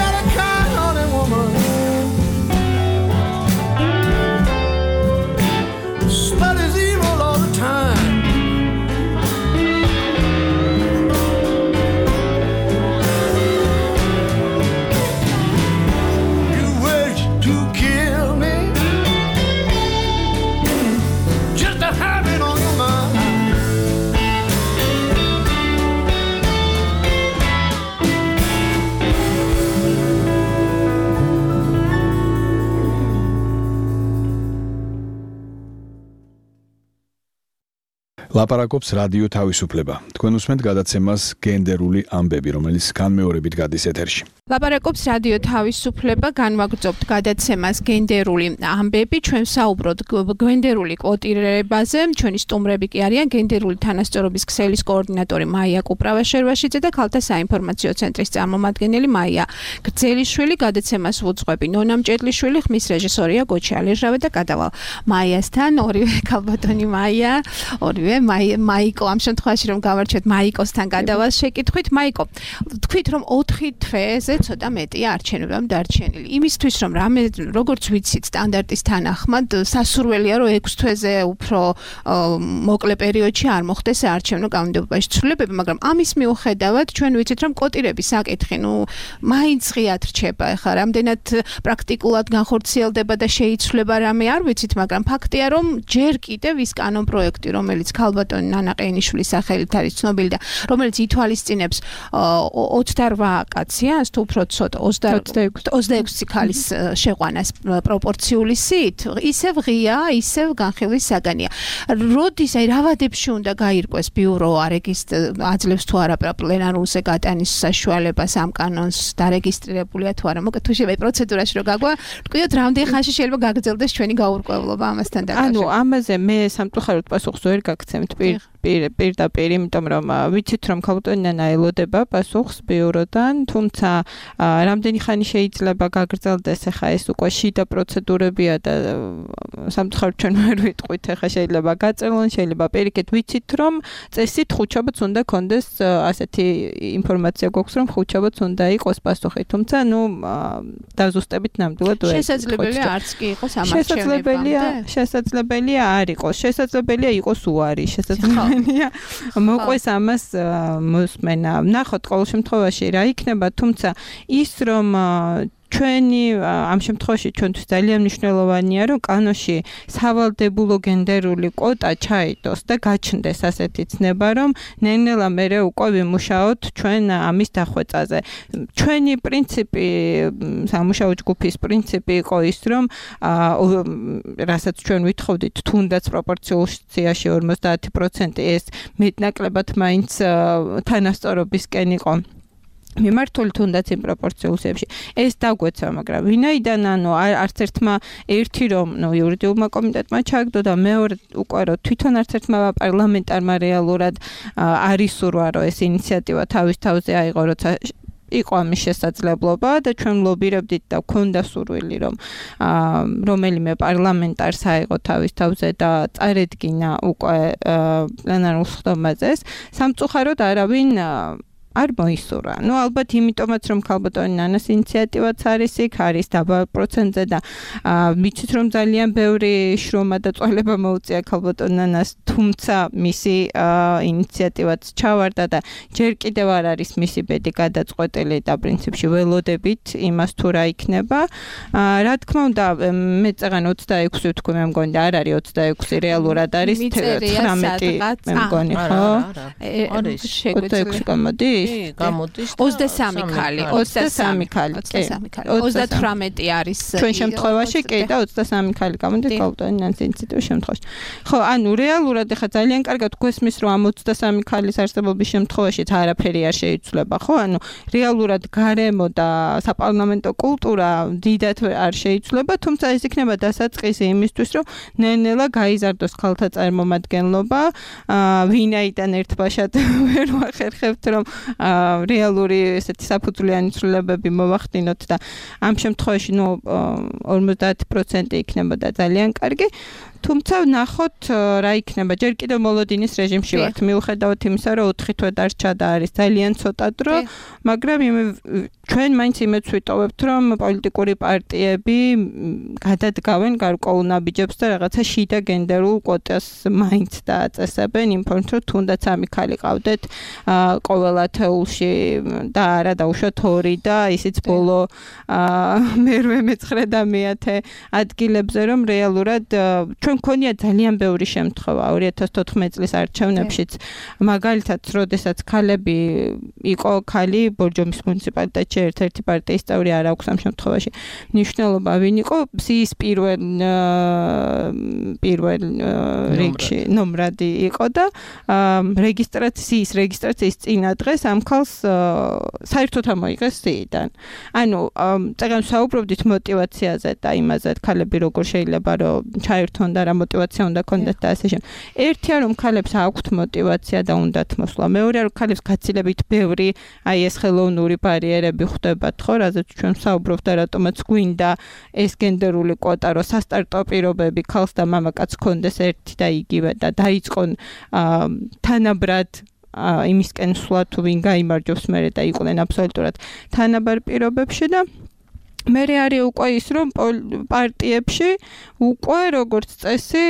got a kind-hearted woman, studies evil all the time. You wish to kill me. ლაპარაკობს რადიო თავისუფლება. თქვენ უსმენთ გადაცემას გენდერული ამბები, რომელიც განმეორებით გადის ეთერში. ლაპარაკობს რადიო თავისუფლება, განვაგრძობთ გადაცემას გენდერული ამბები, ჩვენ საუბრობთ გენდერული კვოტირებაზე, ჩვენი სტუმრები კი არიან გენდერული თანასწორობის ქსელის კოორდინატორი მაია კუპრავაშერვაშიძე და ქალთა საინფორმაციო ცენტრის წარმომადგენელი მაია გრძელიშვილი, გადაცემას ვუძღვები ნონა მჭედლიშვილი, ხმის რეჟისორია გოჩი ალირჟავე და გადავალ მაიასთან, ორივე ქალბატონი მაია, ორივე მაიკო, ამ შემთხვევაში რომ გავარჩევთ მაიკოსთან გადავალ შეკითხვით. მაიკო, თქვით რომ 4 თვეზე ცოტა მეტია არჩევნებამ დარჩენილი. იმისთვის რომ როგორც ვიცით, სტანდარტის თანახმად სასურველია რომ 6 თვეზე უფრო მოკლე პერიოდში არ მოხდეს საარჩევნო კანონმდებლობაში ცვლილებები, მაგრამ ამის მიუხედავად ჩვენ ვიცით რომ კვოტირების საკითხი, მაინც ღიად რჩება. ეხლა რამდენად პრაქტიკულად განხორციელდება და შეიცვლება რამე არ ვიცით, მაგრამ ფაქტია რომ ჯერ კიდევ ის კანონპროექტი, რომელიც ქალბატონი ნანა ყენიშვილის სახელით არის ცნობილი და რომელიც ითვალისწინებს 28 კაციანს თუ უფრო ცოტა 26 ქალის შეყვანას პროპორციული სიით, ისევ ღია, ისევ განხილვის საგანია. როდის რა ვადებში უნდა გაირკვეს ბიურო აძლევს თუ არა პლენარულზე გატანის საშუალებას ამ კანონს დარეგისტრირებულია თუ არა. მოკლედ თუ შეიძლება პროცედურაში რომ თქვიოთ რამდენი ხანში შეიძლება გაგრძელდეს ჩვენი გაურკვევლობა ამასთან დაკავშირებით. ამაზე მე სამწუხაროდ პასუხს ვერ გაგცემთ პირდაპირ, იმიტომ რომ ვიცით რომ ქალბატონი ნანა ელოდება პასუხს ბიუროდან, თუმცა რამდენი ხანი შეიძლება გაგრძელდეს, ახლა ეს უკვე შიდა პროცედურებია და სამწუხაროდ ჩვენ ვერ ვიტყვით, ახლა შეიძლება გაწელონ, შეიძლება პირიქით, ვიცით რომ წესით ხუთშაბათს უნდა კონდეს ასეთი ინფორმაცია გვაქვს რომ ხუთშაბათს უნდა იყოს პასუხი, თუმცა დაზუსტებით ნამდვილად ვერ შესაძლებელია არც კი იყოს ამ არჩევნებამდე. შესაძლებელია არ იყოს, შესაძლებელია იყოს უარი, შესაძლებელია მოყვეს ამას მოსმენა. ნახოთ ყოველ შემთხვევაში რა იქნება, თუმცა ის რომ ჩვენი ამ შემთხვევაში ჩვენთვის ძალიან მნიშვნელოვანია რომ კანონში სავალდებულო გენდერული კვოტა ჩაიდოს და გაჩნდეს ასეთი ცნება რომ ნელ-ნელა მერე უკვე ვიმუშაოთ ჩვენ ამის დახვეწაზე. ჩვენი პრინციპი, სამუშაო ჯგუფის პრინციპი იყო ის რომ რასაც ჩვენ ვითხოვდით თუნდაც პროპორციაში 50% ეს მეტნაკლებად მაინც თანასწორობისკენ იყო მიმართული თუნდაც იმ პროპორციულებში ეს დაგვეცა, მაგრამ ვინაიდან არც ერთმა ერთი რომ იურიდიულმა კომიტეტმა ჩააგდო და მეორე უკვე რომ თვითონ არც ერთმა პარლამენტარმა რეალურად არ ისურვა რომ ეს ინიციატივა თავის თავზე აიღო, როცა იყო ამის შესაძლებლობა და ჩვენ ლობირებდით და გვქონდა სურვილი რომ რომელიმე პარლამენტარს აიღო თავის თავზე და წარედგინა უკვე პლენარულ ხდომაზე. სამწუხაროდ არავინ არ მოისურვა. ალბათ იმიტომაც რომ ქალბატონი ნანას ინიციატივაც არის იქ, არის დაბალ პროცენტზე და ვიცით რომ ძალიან ბევრი შრომა და წვალება მოუწია ქალბატონ ნანას, თუმცა მისი ინიციატივაც ჩავარდა და ჯერ კიდევ არ არის მისი ბედი გადაწყვეტილი და პრინციპში ველოდებით იმას თუ რა იქნება. რა თქმა უნდა, მე წაღან 26 ვთქვი, მე მგონი და არ არის 26, რეალურად არის 19 მე მგონი, ხო? არის 26 გამოდის? გამოდის 23 ქალი, 23 ქალი. 38 არის ჩვენ შემთხვევაში კი და 23 ქალი გამოდის ქალბატონი ნანას ინიციატივის შემთხვევაში. ხო, რეალურად ახლა ძალიან კარგად გვესმის რომ ამ 23 ქალის არსებობის შემთხვევაშიც არაფერი არ შეიცვლება, ხო? რეალურად გარემო და საპარლამენტო კულტურა დიდად არ შეიცვლება, თუმცა ეს იქნება დასაწყისი იმისთვის, რომ ნელ-ნელა გაიზარდოს ქალთა წარმომადგენლობა, ვინაიდან ერთბაშად ვერ ვახერხებთ რომ რეალური ესეთი საფუძვლიანი ცვლილებები მოვახდინოთ და ამ შემთხვევაში 50% იქნებოდა ძალიან კარგი. თუმცა ნახოთ რა იქნება. ჯერ კიდევ მოლოდინის რეჟიმში ვართ, მიუხედავად იმისა, რომ 4 თვე დარჩა და არის ძალიან ცოტა დრო, მაგრამ ჩვენ მაინც იმედს ვიტოვებთ, რომ პოლიტიკური პარტიები გადადგავენ გარკვეულ ნაბიჯებს და რაღაცა შიდა გენდერულ კვოტას მაინც დააწესებენ, იმ ფორმით, რომ თუნდაც ამი ქალი ყავდეთ ყოველათ ათეულში და არა დაუშვათ 2 და ისიც ბოლო მერვე მეცხრე და მეათე ადგილებზე რომ რეალურად ჩვენ გქონია ძალიან ბევრი შემთხვევა 2014 წლის არჩევნებშიც მაგალითად როდესაც ქალები იყო ქალი ბორჯომის მუნიციპალიტეტში ერთ-ერთი პარტიის წევრი არ აქვს ამ შემთხვევაში მნიშვნელობა ვინ იყო სიის პირველ რიგში ნომრადი იყო და რეგისტრაციის წინა დღეს ამ ქალს საერთოდ ამოიღეს სიიდან. ანუ წეგან საუბრობდით მოტივაციაზე და იმაზე ქალები როგორ შეიძლება რომ ჩაერთონ და რა მოტივაცია უნდა კონდეთ და ასე შემდეგ. ერთია რომ ქალებს აქვთ მოტივაცია და უნდათ მოსვლა. მეორეა რომ ქალებს გაცილებით ბევრი აი ეს ხელოვნური ბარიერები ხვდებათ ხო, რაზეც ჩვენ საუბრობთ და რატომაც გვინდა ეს გენდერული კვოტა რომ სასტარტო პირობები ქალს და მამაკაცს კონდეს ერთი და იგივე და დაიწყონ თანაბრად იმისკენ სვლა თუ ვინ გაიმარჯვებს მერე და იყვნენ აბსოლუტურად თანაბარ პირობებში და მერე არის უკვე ის რომ პარტიებში უკვე როგორც წესი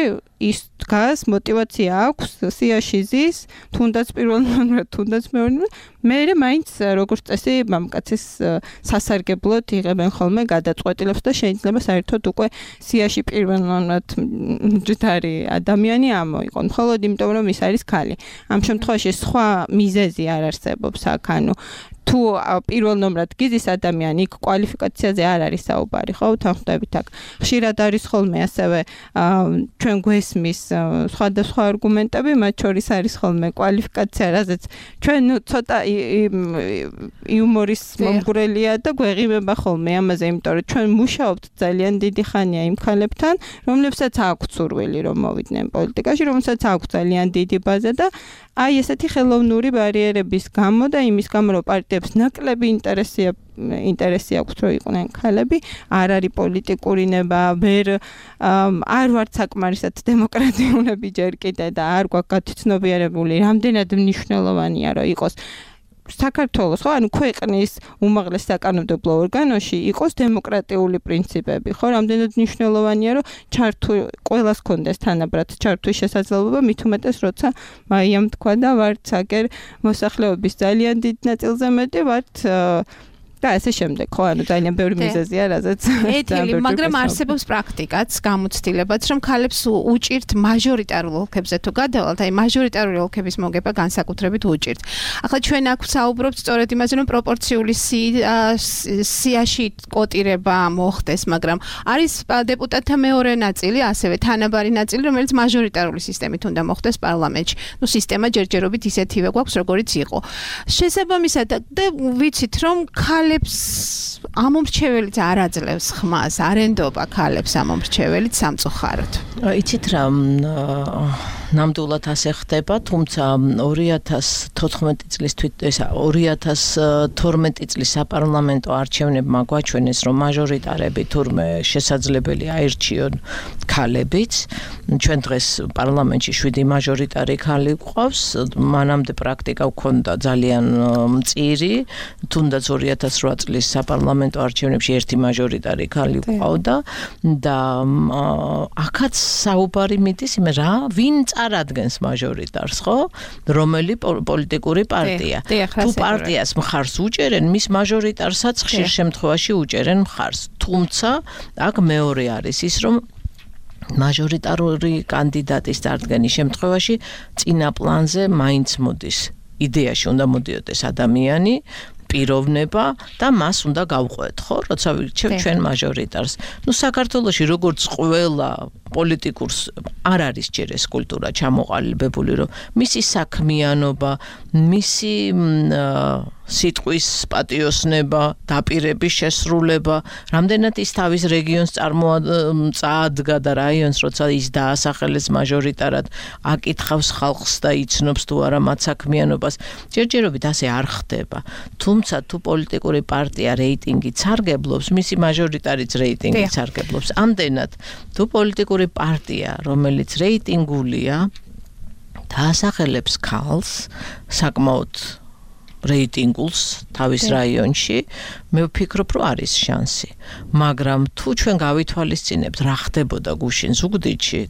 ის დგას მოტივაცია აქვს სიაში ზის თუნდაც პირველ ნომრად თუნდაც მეორე მერე მაინც როგორც წესი მამკაცის სასარგებლოდ იღებენ ხოლმე გადაწყვეტილებს და შეიძლება საერთოდ უკვე სიაში პირველ ნომრად ჯდარი ადამიანი ამოიყონ მხოლოდ იმიტომ რომ ის არის ხალი ამ შემთხვევაში სხვა მიზეზი არ არსებობს აქ ანუ თუ პირველ ნომრად გიზის ადამიანი იქ კვალიფიკაციაზე არ არის საუბარი ხო თანხმდებით აქ ხშირად არის ხოლმე ასევე ჩვენ გვესმის სხვადასხვა არგუმენტები მათ შორის არის ხოლმე კვალიფიკაცია რაზეც ჩვენ ცოტა იუმორის მომგვრელია და გვეღიმება ხოლმე ამაზე იმიტომ რომ ჩვენ მუშაობთ ძალიან დიდი ხანია იმ ქალებთან რომლებსაც აქვს სურვილი რომ მოვიდნენ პოლიტიკაში რომელსაც აქვს ძალიან დიდი ბაზა და აი ესეთი ხელოვნური ბარიერების გამო და იმის გამო რომ პარტიებს ნაკლები ინტერესი აქვს რომ იყვნენ ქალები არ არის პოლიტიკური ნება არ ვართ საკმარისად დემოკრატიულები ჯერ კიდე და არ გვაქვს გათვითცნობიერებული რამდენად მნიშვნელოვანია რომ იყოს საქართველოს ხო ანუ ქვეყნის უმაღლეს საკანონმდებლო ორგანოში იყოს დემოკრატიული პრინციპები ხო რამდენად მნიშვნელოვანია რომ ყველას კონდეს თანაბრად ჩართვის შესაძლებლობა მით უმეტეს როცა მაიამ თქვა და ვართ აგერ მოსახლეობის ძალიან დიდ ნაწილზე მეტი ვართ და ასე შემდეგ ხო ანუ ძალიან ბევრი მიზეზია რაზეც ეთილი მაგრამ არსებობს პრაქტიკაც გამოცდილებაც რომ ქალებს უჭირთ მაჟორიტარულ ოლქებზე თუ გადავალთ აი მაჟორიტარული ოლქების მოგება განსაკუთრებით უჭირთ ახლა ჩვენ აქ ვსაუბრობთ სწორედ იმაზე რომ პროპორციული სიაში კოტირება მოხდეს მაგრამ არის დეპუტატთა მეორე ნაწილი ასევე თანაბარი ნაწილი რომელიც მაჟორიტარული სისტემით უნდა მოხდეს პარლამენტში ნუ სისტემა ჯერჯერობით ისეთივე გვაქვს როგორიც იყო შესაბამისად და ვიცით რომ ამომრჩეველიც არ აძლევს ხმას, არ ენდობა ქალებს ამომრჩეველიც სამწუხაროდ. იცით რა ნამდვილად ასე ხდება, თუმცა 2014 წლის 2012 წლის საპარლამენტო არჩევნებმა გვაჩვენეს, რომ მაჟორიტარები თურმე შესაძლებელი აირჩიონ ქალებიც. ჩვენ დღეს პარლამენტში 7 მაჟორიტარი ქალი გვყავს, მანამდე პრაქტიკა გვქონდა ძალიან მწირი, თუნდაც 2008 წლის საპარლამენტო არჩევნებში ერთი მაჟორიტარი ქალი გვყავდა და აქაც საუბარი მიდის იმ რა ვინ წარადგენს მაჟორიტარს ხო რომელი პოლიტიკური პარტია თუ პარტიას მხარს უჭერენ მის მაჟორიტარსაც ხშირ შემთხვევაში უჭერენ მხარს თუმცა აქ მეორე არის ის რომ მაჟორიტარული კანდიდატის წარდგენის შემთხვევაში წინა პლანზე მაინც მოდის იდეაში უნდა მოდიოდეს ადამიანი პიროვნება და მას უნდა გავყვეთ ხო როცა ვირჩევთ ჩვენ მაჟორიტარს ნუ საქართველოში როგორც ყველა პოლიტიკურს არ არის ჯერ ეს კულტურა ჩამოყალიბებული რომ მისი საქმიანობა მისი სიტყვის პატიოსნება დაპირების შესრულება რამდენად ის თავის რეგიონს წაადგა და რაიონს როცა ის დაასახელეს მაჟორიტარად აკითხავს ხალხს და იცნობს თუ არა მათ საქმიანობას ჯერჯერობით ასე არ ხდება თუმცა თუ პოლიტიკური პარტია რეიტინგით სარგებლობს მისი მაჟორიტარიც რეიტინგით სარგებლობს ამდენად თუ პოლიტიკური პარტია რომელიც რეიტინგულია დაასახელებს ქალს საკმაოდ რეიტინგულს თავის რაიონში მე ვფიქრობ რომ არის შანსი მაგრამ თუ ჩვენ გავითვალისწინებთ რა ხდებოდა გუშინ ზუგდიდში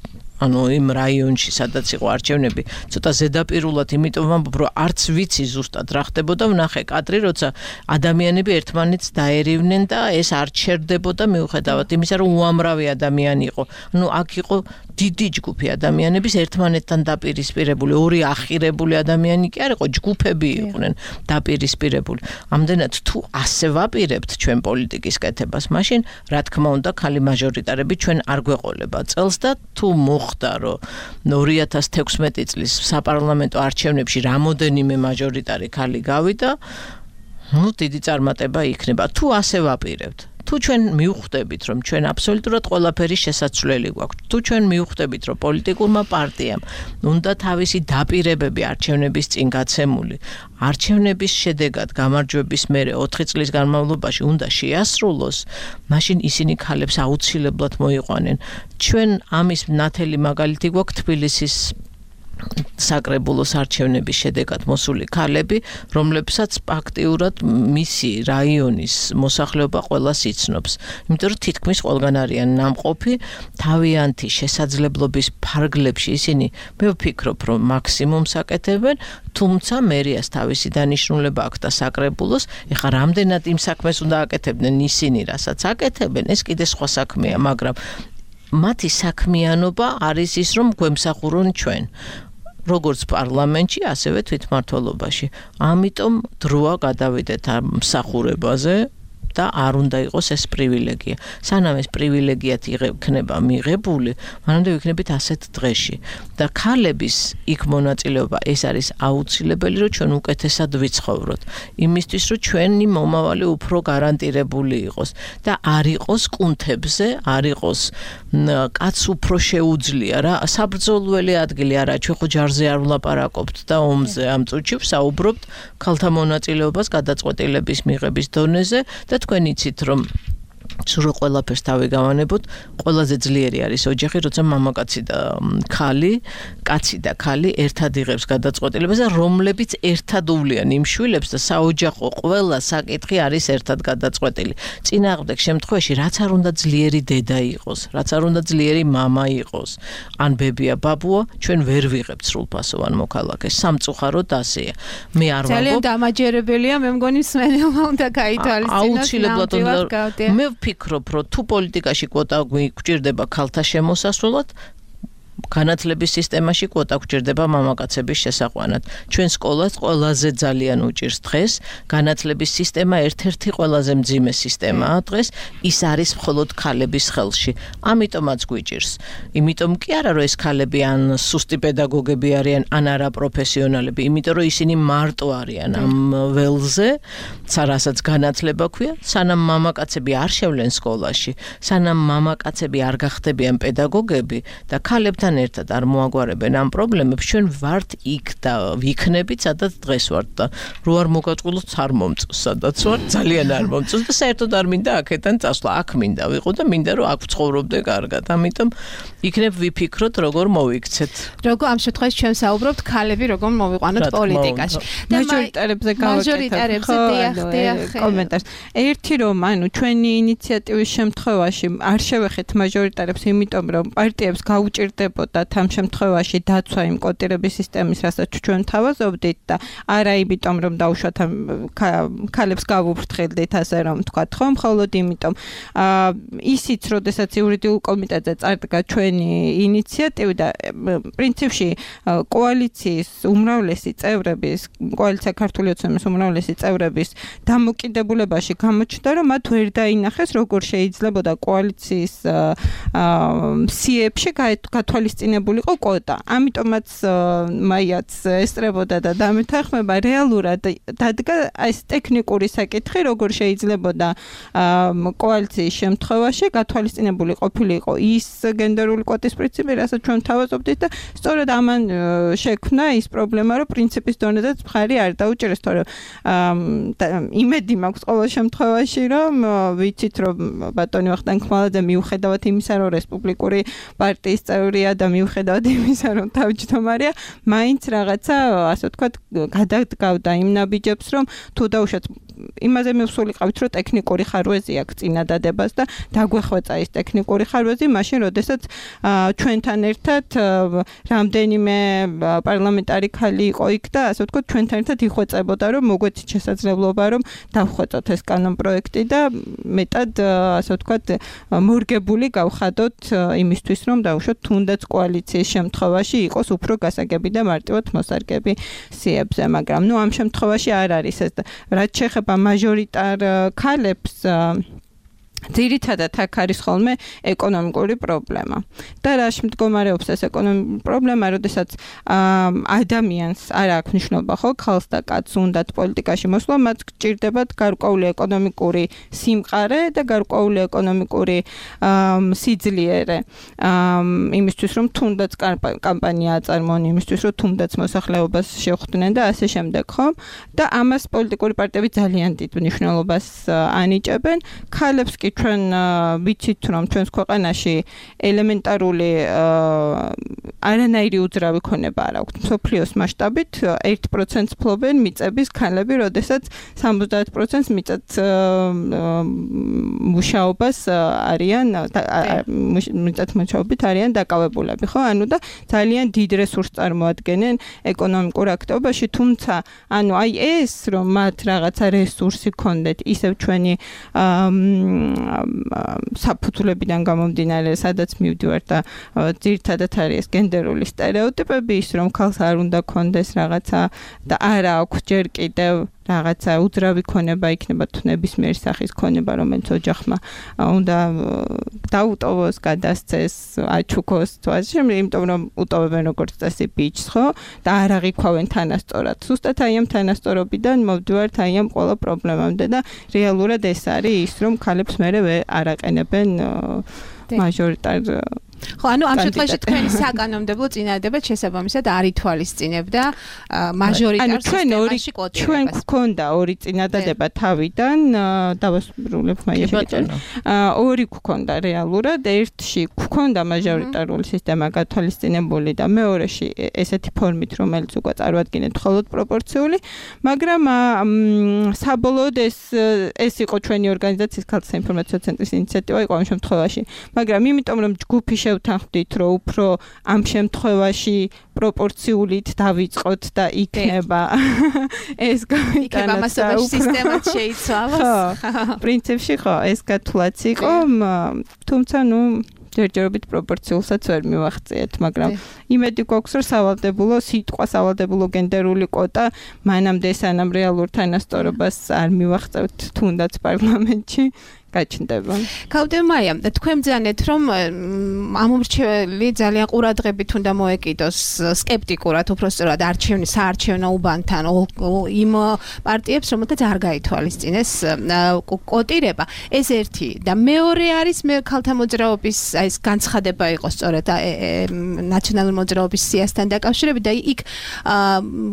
ანუ იმ რაიონში სადაც იყო არჩევნები ცოტა ზედაპირულად იმიტომ ვამბობ რომ არც ვიცი ზუსტად რა ხდებოდა ვნახე კადრი როცა ადამიანები ერთმანეთს დაერივნენ და ეს არ ჩერდებოდა მიუხედავად იმისა რომ უამრავი ადამიანი იყო ანუ აქ იყო დიდი ჯგუფი ადამიანების ერთმანეთთან დაპირისპირებული ორი ახირებული ადამიანი კი არ იყო ჯგუფები იყვნენ დაპირისპირებული ამდენად თუ ასე ვაპირებთ ჩვენ პოლიტიკის კეთებას მაშინ რა თქმა უნდა ხალი მაჟორიტარები ჩვენ არ გვეყოლება წელს და თუ მოხდა რომ 2016 წლის საპარლამენტო არჩევნებში რამოდენიმე მაჟორიტარი ხალი გავიდა ну დიდი წარმატება იქნება თუ ასე ვაპირებთ თუ ჩვენ მივხვდებით რომ ჩვენ აბსოლუტურად ყველაფერი შესაძლებელი გვაქვს თუ ჩვენ მივხვდებით რომ პოლიტიკურმა პარტიამ უნდა თავისი დაპირებები არჩევნების წინ გაცემული არჩევნების შედეგად გამარჯვების მერე 4 წლის განმავლობაში უნდა შეასრულოს მაშინ ისინი ქალებს აუცილებლად მოიყვანენ ჩვენ ამის ნათელი მაგალითი გვაქვს თბილისის საკრებულოს არჩევნების შედეგად მოსული ქალები, რომლებსაც აქტიურად მისი რაიონის მოსახლეობა ყველას იცნობს. იმიტომ რომ თითქმის ყველგან არიან ნამყოფი, თავიანთი შესაძლებლობის ფარგლებში ისინი მე ვფიქრობ, რომ მაქსიმუმს აკეთებენ, თუმცა მერიას თავისი დანიშნულება აქვს და საკრებულოს, ეხლა რამდენად იმ საქმეს უნდა აკეთებდნენ ისინი, რასაც აკეთებენ, ეს კიდე სხვა საქმეა, მაგრამ მათი საქმიანობა არის ის, რომ გვემსახურონ ჩვენ. როგორც პარლამენტში, ასევე თვითმმართველობაში. ამიტომ დროა გადავიდეთ ამ მსახურებაზე და არ უნდა იყოს ეს პრივილეგია. სანამ ეს პრივილეგიათ იქნება მიღებული, მანამდე ვიქნებით ასეთ დღეში. და ქალების იქ მონაწილეობა ეს არის აუცილებელი, რომ ჩვენ უკეთესად ვიცხოვროთ. იმისთვის, რომ ჩვენი მომავალი უფრო გარანტირებული იყოს და არ იყოს კუნთებზე, არ იყოს კაც უფრო შეუძლია რა, საბრძოლველი ადგილი არა, ჩვენ ხო ჯარზე არ ვლაპარაკობთ და ომზე ამ წუთში ვსაუბრობთ ქალთა მონაწილეობას გადაწყვეტილების მიღების დონეზე და თქვენ იცით რომ სულ ყველაფერს თავი გავანებოთ, ყველაზე ძლიერი არის ოჯახი, როცა მამაკაცი და ქალი, კაცი და ქალი ერთად იღებს გადაწყვეტილებას და რომლებიც ერთად უვლიან იმ შვილებს და საოჯახო ყველა საკითხი არის ერთად გადაწყვეტილი. წინააღმდეგ შემთხვევაში რაც არ უნდა ძლიერი დედა იყოს, რაც არ უნდა ძლიერი მამა იყოს, ან ბებია, ბაბუა, ჩვენ ვერ ვიღებთ სრულფასოვან მოქალაქეს. სამწუხაროდ ასეა. მე არ ვამბობ. ძალიან დამაჯერებელია, მე მგონი მსმენელმა უნდა გაითვალისწინოს. აუცილებლად უნდა ვფიქრობ, რომ თუ პოლიტიკაში კვოტა გვჭირდება ქალთა შემოსასვლელად, განათლების სისტემაში კვოტა გვჭირდება მამაკაცების შესაყვანად. ჩვენ სკოლას ყველაზე ძალიან უჭირს დღეს, განათლების სისტემა ერთ-ერთი ყველაზე მძიმე სისტემაა დღეს, ის არის მხოლოდ ქალების ხელში. ამიტომაც გვიჭირს. იმიტომ კი არა, რომ ეს ქალები ან სუსტი პედაგოგები არიან, ან არა პროფესიონალები, იმიტომ რომ ისინი მარტო არიან ამ ველზე, რასაც განათლება ქვია, სანამ მამაკაცები არ შევლენ სკოლაში, სანამ მამაკაცები არ გახდებიან პედაგოგები და ქალებთან ერთად არ მოაგვარებენ ამ პრობლემებს, ჩვენ ვართ იქ და ვიქნებით, სადაც დღეს ვართ და რო არ მოგაწყვილოთ, არ მომწონს, სადაც ვარ, ძალიან არ მომწონს და საერთოდ არ მინდა აქედან წასვლა, აქ მინდა ვიყო და მინდა რომ აქ ვცხოვრობდე კარგად. ამიტომ იქნებ ვიფიქროთ, როგორ მოვიქცეთ. როგორ ამ შემთხვევაში ჩვენ საუბრობთ ქალები როგორ მოვიყვანოთ პოლიტიკაში. მაჟორიტარებზე გავაკეთებ კომენტარს. ერთი რომ ანუ ჩვენი ინიციატივის შემთხვევაში არ შევეხეთ მაჟორიტარებს, იმიტომ რომ პარტიებს გაუჭირდებოდათ ამ შემთხვევაში დაცვა იმ კოტირების სისტემის, რასაც ჩვენ თავაზობდით და არა იმიტომ რომ დაუშვათ ქალებს გავუფრთხილდით ასე რომ ვთქვათ, ხო, მხოლოდ იმიტომ ისიც, როდესაც იურიდიულ კომიტეტზე წარდგა ჩვენი ინიციატივა და პრინციპში კოალიციის უმრავლესი წევრების, კოალიცია ქართული ოცნების უმრავლესი წევრების დამოკიდებულებაში გამოჩნდა, რომ მათ ვერ დაინახეს, როგორ შეიძლებოდა კოალიციის სიებში გათვალისწინებულიყო კვოტა. ამიტომაც მაიაც ესწრებოდა და დამეთანხმება რეალურად დადგა ეს ტექნიკური საკითხი, როგორ შეიძლებოდა კოალიციის შემთხვევაში გათვალისწინებული ყოფილიყო ის გენდერული კვოტის პრინციპი, რასაც ჩვენ თავაზობდით და სწორედ ამან შექმნა ის პრობლემა, რომ პრინციპის დონეზეც მხარი არ დაუჭირეს, თორემ იმედი მაქვს ყოველ შემთხვევაში, რომ ვიცით, რომ ბატონი ვახტანგ ხმალაძე მიუხედავად იმისა, რომ რესპუბლიკური პარტიის წევრია და მიუხედავად იმისა, რომ თავმჯდომარეა, მაინც რაღაცა, ასე ვთქვათ, გადადგავდა იმ ნაბიჯებს, რომ თუ დაუშვათ იმაზე მივსულიყავით, რომ ტექნიკური ხარვეზი აქვს წინადადებას და დაგვეხვეწა ის ტექნიკური ხარვეზი, მაშინ როდესაც ჩვენთან ერთად რამდენიმე პარლამენტარი ხალი იყო იქ და ასე ვთქვათ, ჩვენთან ერთად იხვეწებოდა, რომ მოგვეცით შესაძლებლობა, რომ დავხვეწოთ ეს კანონპროექტი და მეტად ასე ვთქვათ, მორგებული გავხადოთ იმისთვის, რომ დავუშვათ თუნდაც კოალიციის შემთხვევაში იყოს უფრო გასაგები და მარტივად მოსარგები სიებზე, მაგრამ ამ შემთხვევაში არ არის ეს. რაც შეეხება მაჟორიტარ ქალებს, ძირითადად აქ არის ხოლმე ეკონომიკური პრობლემა. და რაში მდგომარეობს ეს ეკონომიკური პრობლემა, როდესაც ადამიანს არ აქვს მნიშვნელობა, ხო, ქალს და კაცს უნდათ პოლიტიკაში მოსვლა, მათ გჭირდებათ გარკვეული ეკონომიკური სიმყარე და გარკვეული ეკონომიკური სიძლიერე. იმისთვის, რომ თუნდაც კამპანია აწარმოონ, იმისთვის, რომ თუნდაც მოსახლეობას შეხვდნენ და ასე შემდეგ, ხო? და ამას პოლიტიკური პარტიები ძალიან დიდ მნიშვნელობას ანიჭებენ. ქალებს კი ჩვენ ვიცით, რომ ჩვენს ქვეყანაში ელემენტარული არანაირი უძრავი ქონება არ აქვს. მსოფლიოს მასშტაბით 1%-ს ფლობენ მიწების ქალები, როდესაც 70%-ს მიწად მუშაობას არიან მიწად მუშაობით არიან დაკავებულები, ხო? ანუ და ძალიან დიდ რესურსს წარმოადგენენ ეკონომიკურ აქტივობაში, თუმცა ანუ აი ეს რომ მათ რაღაცა რესურსი ქონდეთ, ისევ ჩვენი საფუძვლებიდან გამომდინარე, სადაც მივდივართ და ძირითადად არის გენდერული სტერეოტიპები, ის რომ ქალს არ უნდა ქონდეს რაღაცა და არა აქვს ჯერ კიდევ რაღაცა უძრავი ქონება იქნება თუ ნებისმიერი სახის ქონება, რომელიც ოჯახმა უნდა დაუტოვოს, გადასცეს, აჩუქოს, თუ ასე შემდეგ, იმიტომ რომ უტოვებენ როგორც წესი ბიჭს, ხო? და არ აღიქვავენ თანასწორად. ზუსტად აი ამ თანასწორობიდან მოვდივართ აი ამ ყველა პრობლემამდე და რეალურად ეს არის ის, რომ ქალებს მერე არ აყენებენ მაჟორიტარ ხო, ანუ ამ შემთხვევაში თქვენი საკანონმდებლო წინადადება შესაბამისად არ ითვალისწინებდა მაჟორიტარ სისტემაში კვოტირებას. ჩვენ გვქონდა ორი წინადადება თავიდან, დავასრულებ მაიაშეჭენ. ორი გვქონდა რეალურად, ერთში გვქონდა მაჟორიტარული სისტემა გათვალისწინებული და მეორეში ესეთი ფორმით, რომელიც უკვე წარმოადგენდა მხოლოდ პროპორციული, მაგრამ საბოლოოდ ეს იყო ჩვენი ორგანიზაციის ქალთა საინფორმაციო ცენტრის ინიციატივა იყო ამ შემთხვევაში, მაგრამ იმიტომ რომ ჯგუფი შევთანხმდით, რომ უფრო ამ შემთხვევაში პროპორციულით დავიწყოთ და იქნება ეს იქნება მასობაში სისტემად შეიცვალოს. ხო, პრინციპში ხო, ეს გათვლაც იყო, თუმცა ჯერჯერობით პროპორციულსაც ვერ მივახციეთ, მაგრამ იმედი გვაქვს, რომ სავალდებულო სიტყვა, სავალდებულო გენდერული კვოტა მანამდე სანამ რეალურ თანასწორობას არ მივახცევთ თუნდაც პარლამენტში. გაჩნდება. კავდემაია, თქვენ ბრძანეთ, რომ ამომრჩეველი ძალიან ყურადღებით უნდა მოეკიდოს სკეპტიკურად, უბრალოდ საარჩევნო უბანთან იმ პარტიებს, რომელთაც არ გაითვალისწინეს კვოტირება. ეს ერთი და მეორე არის ქალთა მოძრაობის აი ეს განცხადება იყო სწორედ ნაციონალური მოძრაობის სიასთან დაკავშირებით და იქ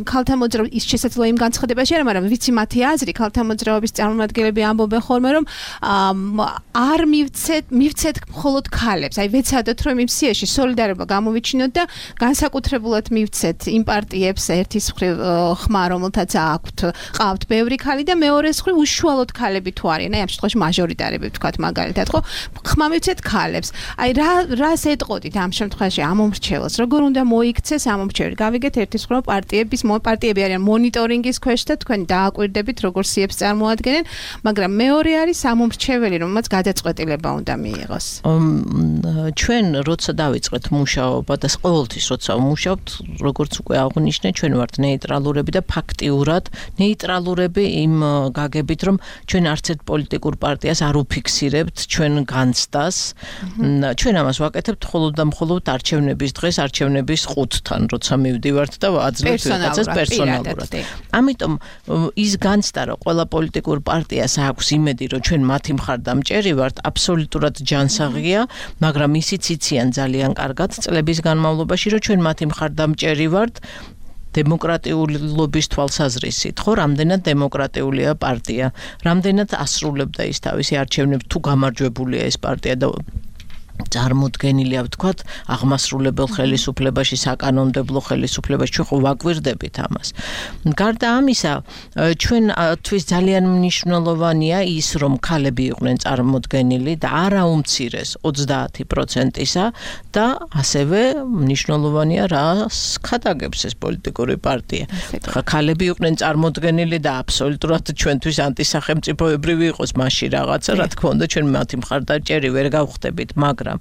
ქალთა მოძრაობის ის შესაძლოა იმ განცხადებაში არა, მაგრამ ვიცი მათი აზრი, ქალთა მოძრაობის წარმომადგენლები ამბობენ ხოლმე, რომ არ მივცეთ მხოლოდ ქალებს. აი ვეცადოთ რომ იმ სიაში სოლიდარობა გამოვიჩინოთ და განსაკუთრებულად მივცეთ იმ პარტიებს ერთის მხრივ ხმა, რომელთაც ყავთ ბევრი ქალი და მეორეს მხრივ უშუალოდ ქალები თუ არიან. აი ამ შემთხვევაში მაჟორიტარები ვთქვათ მაგალითად, ხო? ხმა მივცეთ ქალებს. აი რას ეტყოდით ამ შემთხვევაში ამომრჩეველს? როგორ უნდა მოიქცეს ამომრჩეველი? გავიგეთ ერთის მხრივ პარტიები არიან მონიტორინგის ქვეშ და თქვენ დააკვირდებით როგორ სიებს წარმოადგენენ, მაგრამ მეორე არის ამომრჩეველი, რომელმაც გადაწყვეტილება უნდა მიიღოს. ჩვენ როცა დავიწყეთ მუშაობა და ყოველთვის როცა ვმუშაობთ, როგორც უკვე აღვნიშნე, ჩვენ ვართ ნეიტრალურები და ფაქტიურად ნეიტრალურები იმ გაგებით, რომ ჩვენ არც ერთ პოლიტიკურ პარტიას არ უფიქსირებთ ჩვენ განცდას. ჩვენ ამას ვაკეთებთ მხოლოდ და მხოლოდ არჩევნების დღეს, არჩევნების ყუთთან, როცა მივდივართ და აძლევთ ვიღაცას პერსონალურად. ამიტომ ის განცდა, რომ ყველა პოლიტიკურ პარტიას აქვს იმედი, რომ ჩვენ მათი მხარდამჭერი ვართ, აბსოლუტურად ჯანსაღია, მაგრამ ისიც იციან ძალიან კარგად წლების განმავლობაში, რომ ჩვენ მათი მხარდამჭერი ვართ დემოკრატიულობის თვალსაზრისით, ხო, რამდენად დემოკრატიულია პარტია, რამდენად ასრულებდა ის თავისი არჩევნებს, თუ გამარჯვებულია ეს პარტია და წარმოდგენილია ვთქვათ აღმასრულებელ ხელისუფლებაში, საკანონმდებლო ხელისუფლებაში ჩვენ ხო ვაკვირდებით ამას. გარდა ამისა, ჩვენთვის ძალიან მნიშვნელოვანია ის, რომ ქალები იყვნენ წარმოდგენილი და არა უმცირეს 30%-ისა და ასევე მნიშვნელოვანია რას ხადაგებს ეს პოლიტიკური პარტია. ხა ქალები იყვნენ წარმოდგენილი და აბსოლუტურად ჩვენთვის ანტისახელმწიფოებრივი იყოს მასში რაღაცა, რა თქმა უნდა ჩვენ მათი მხარდაჭერი ვერ გავხდებით, მაგრამ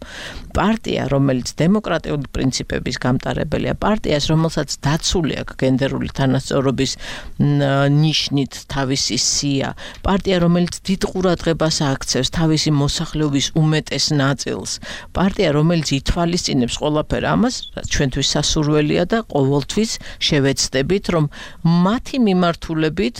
პარტია, რომელიც დემოკრატიული პრინციპების გამტარებელია, პარტიას, რომელსაც დაცული აქვს გენდერული თანასწორობის ნიშნით თავისი სია, პარტია, რომელიც დიდ ყურადღებას აქცევს თავისი მოსახლეობის უმეტეს ნაწილს, პარტია, რომელიც ითვალისწინებს ყველაფერ ამას, რაც ჩვენთვის სასურველია და ყოველთვის შევეცდებით, რომ მათი მიმართულებით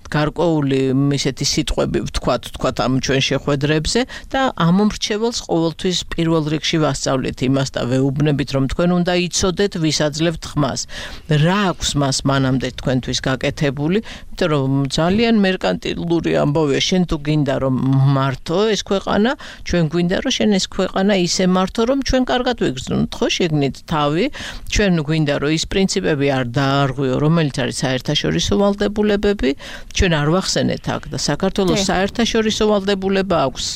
გარკვეული ისეთი სიტყვები ვთქვათ ამ ჩვენ შეხვედრებზე და ამ მრჩეველს ყოველთვის პირველ რიგში ვასწავლეთ იმას და ვეუბნებით, რომ თქვენ უნდა იცოდეთ, ვისაძლევთ ხმას. რა აქვს მას მანამდე თქვენთვის გაკეთებული, იმიტომ რომ ძალიან მერკანტილური ამბავია, შენ თუ გინდა რომ მართო ეს ქვეყანა, ჩვენ გვინდა რომ შენ ეს ქვეყანა ისე მართო, რომ ჩვენ კარგად ვიგრძნოთ, ხო, შეგნით თავი, ჩვენ გვინდა რომ ის პრინციპები არ დაარღვიო, რომელიც არის საერთაშორისო ვალდებულებები, ჩვენ არ ვახსენეთ აქ და საქართველოს საერთაშორისო ვალდებულება აქვს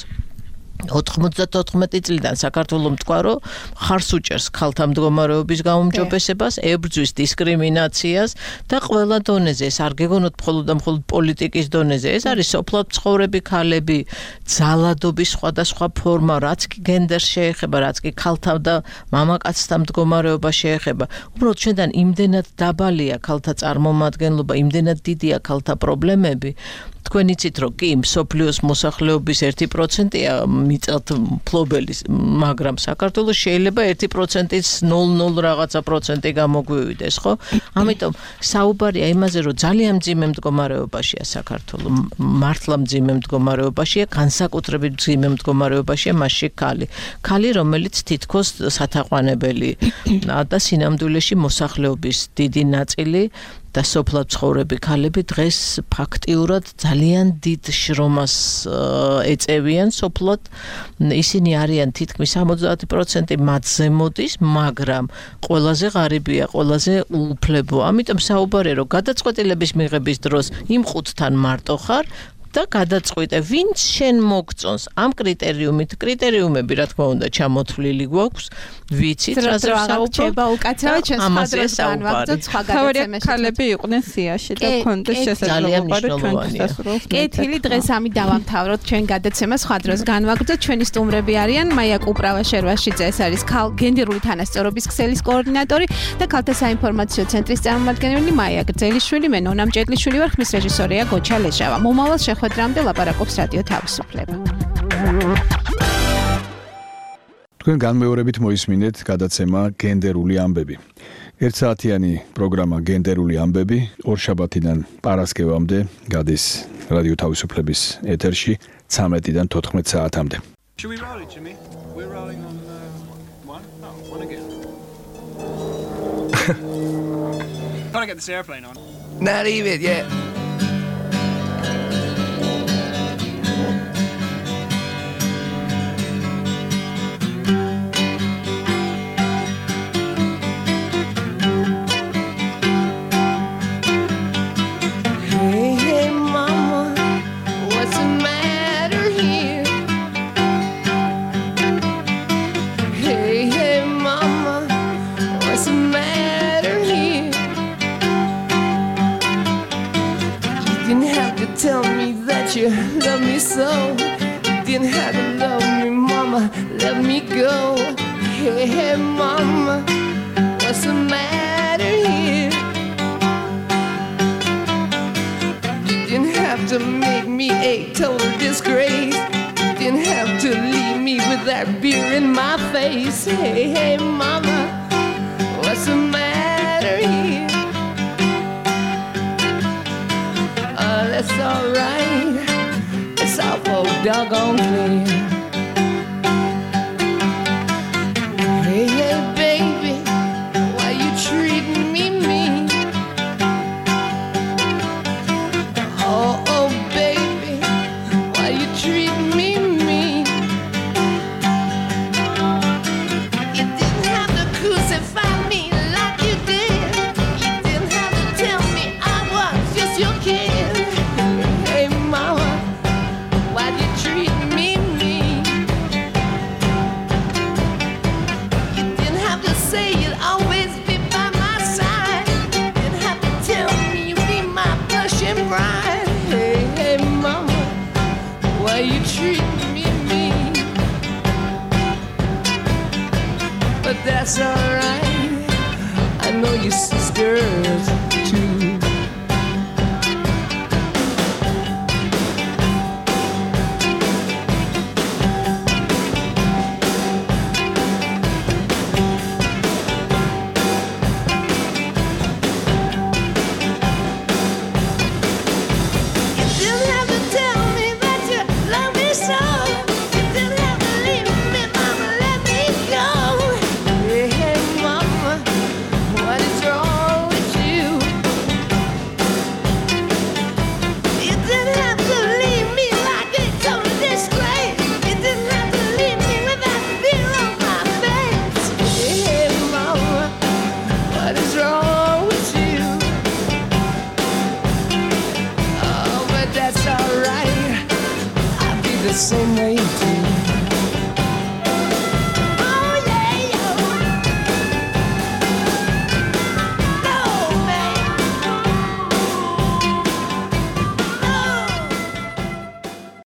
94 წლიდან საქართველოს თქვა, რომ ხარს უჭერს ქალთა მდგომარეობის გაუმჯობესებას, ებრძვის დისკრიმინაციას და ყველა დონეზე, ეს არ გეგონოთ მხოლოდ და მხოლოდ პოლიტიკის დონეზე, ეს არის სოფლად მცხოვრები ქალები, ძალადობის სხვადასხვა ფორმა, რაც კი გენდერს შეეხება, რაც კი ქალთა და მამაკაცთა მდგომარეობა შეეხება. უბრალოდ ჩვენთან იმდენად დაბალია ქალთა წარმომადგენლობა, იმდენად დიდია ქალთა პრობლემები. თქვენ იცით, რომ კი მსოფლიოს მოსახლეობის 1%-ია მიწათ მფლობელის, მაგრამ საქართველოს შეიძლება 1%-ից 0 რაღაცა პროცენტი გამოგვივიდეს, ხო? ამიტომ საუბარია იმაზე, რომ ძალიან მძიმე მდგომარეობაშია საქართველო, მართლა მძიმე მდგომარეობაშია, განსაკუთრებით მძიმე მდგომარეობაშია მასში ქალი. ქალი, რომელიც თითქოს სათაყვანებელი და სინამდვილეში მოსახლეობის დიდი ნაწილი და სოფლად მცხოვრები ქალები დღეს ფაქტიურად ძალიან დიდ შრომას ეწევიან სოფლად. ისინი არიან თითქმის 70% მათზე მოდის, მაგრამ ყველაზე ღარიბია, ყველაზე უუფლებო. ამიტომ საუბარია, რომ გადაწყვეტილების მიღების დროს იმ ხუთთან მარტო ხარ და გადაწყვეტე, ვინც შენ მოგწონს ამ კრიტერიუმები, რა თქმა უნდა, ჩამოთვლილი გვაქვს, ვიცით, რაზე საუბარია, უკაცრავად ჩვენ სხვადასხვა განვაგრძოთ სხვა გადაცემაში. ქალები იყვნენ სიაში და კონდეს შესაძლებლობა ჩვენთვის დასრულოს. კეთილი, დღეს ამით დავამთავროთ ჩვენ გადაცემას, სხვა დროს განვაგრძოთ. ჩვენი სტუმრები არიან მაია კუპრავა-შერვაშიძე, ეს არის გენდერული თანასწორობის ქსელის კოორდინატორი და ქალთა საინფორმაციო ცენტრის წარმომადგენელი მაია გრძელიშვილი, მე ნონა მჭედლიშვილი ვარ, ხმის რეჟისორია გოჩა ლეჟავა. მომავალ შეხვედრამდე ლაპარაკობს რადიო თავისუფლება. თქვენ განმეორებით მოისმინეთ გადაცემა გენდერული ამბები. 1 საათიანი პროგრამა გენდერული ამბები ორშაბათიდან პარასკევამდე გადის რადიო თავისუფლების ეთერში 13-დან 14 საათამდე. Should we roll it, Jimmy? We're rolling on one? No, one again. Gotta get this airplane on. Not even yet. Tell me that you love me so. You didn't have to love me, mama. Let me go. Hey, hey, mama, what's the matter here? You didn't have to make me a total disgrace. You didn't have to leave me with that beer in my face. Hey, hey, mama, what's the matter here? That's alright, it's awful doggone clear. Hey, hey, baby, why you treating me mean? Oh, oh, baby, why you treating me mean? treat me mean, but that's alright. I know your sisters too. The same way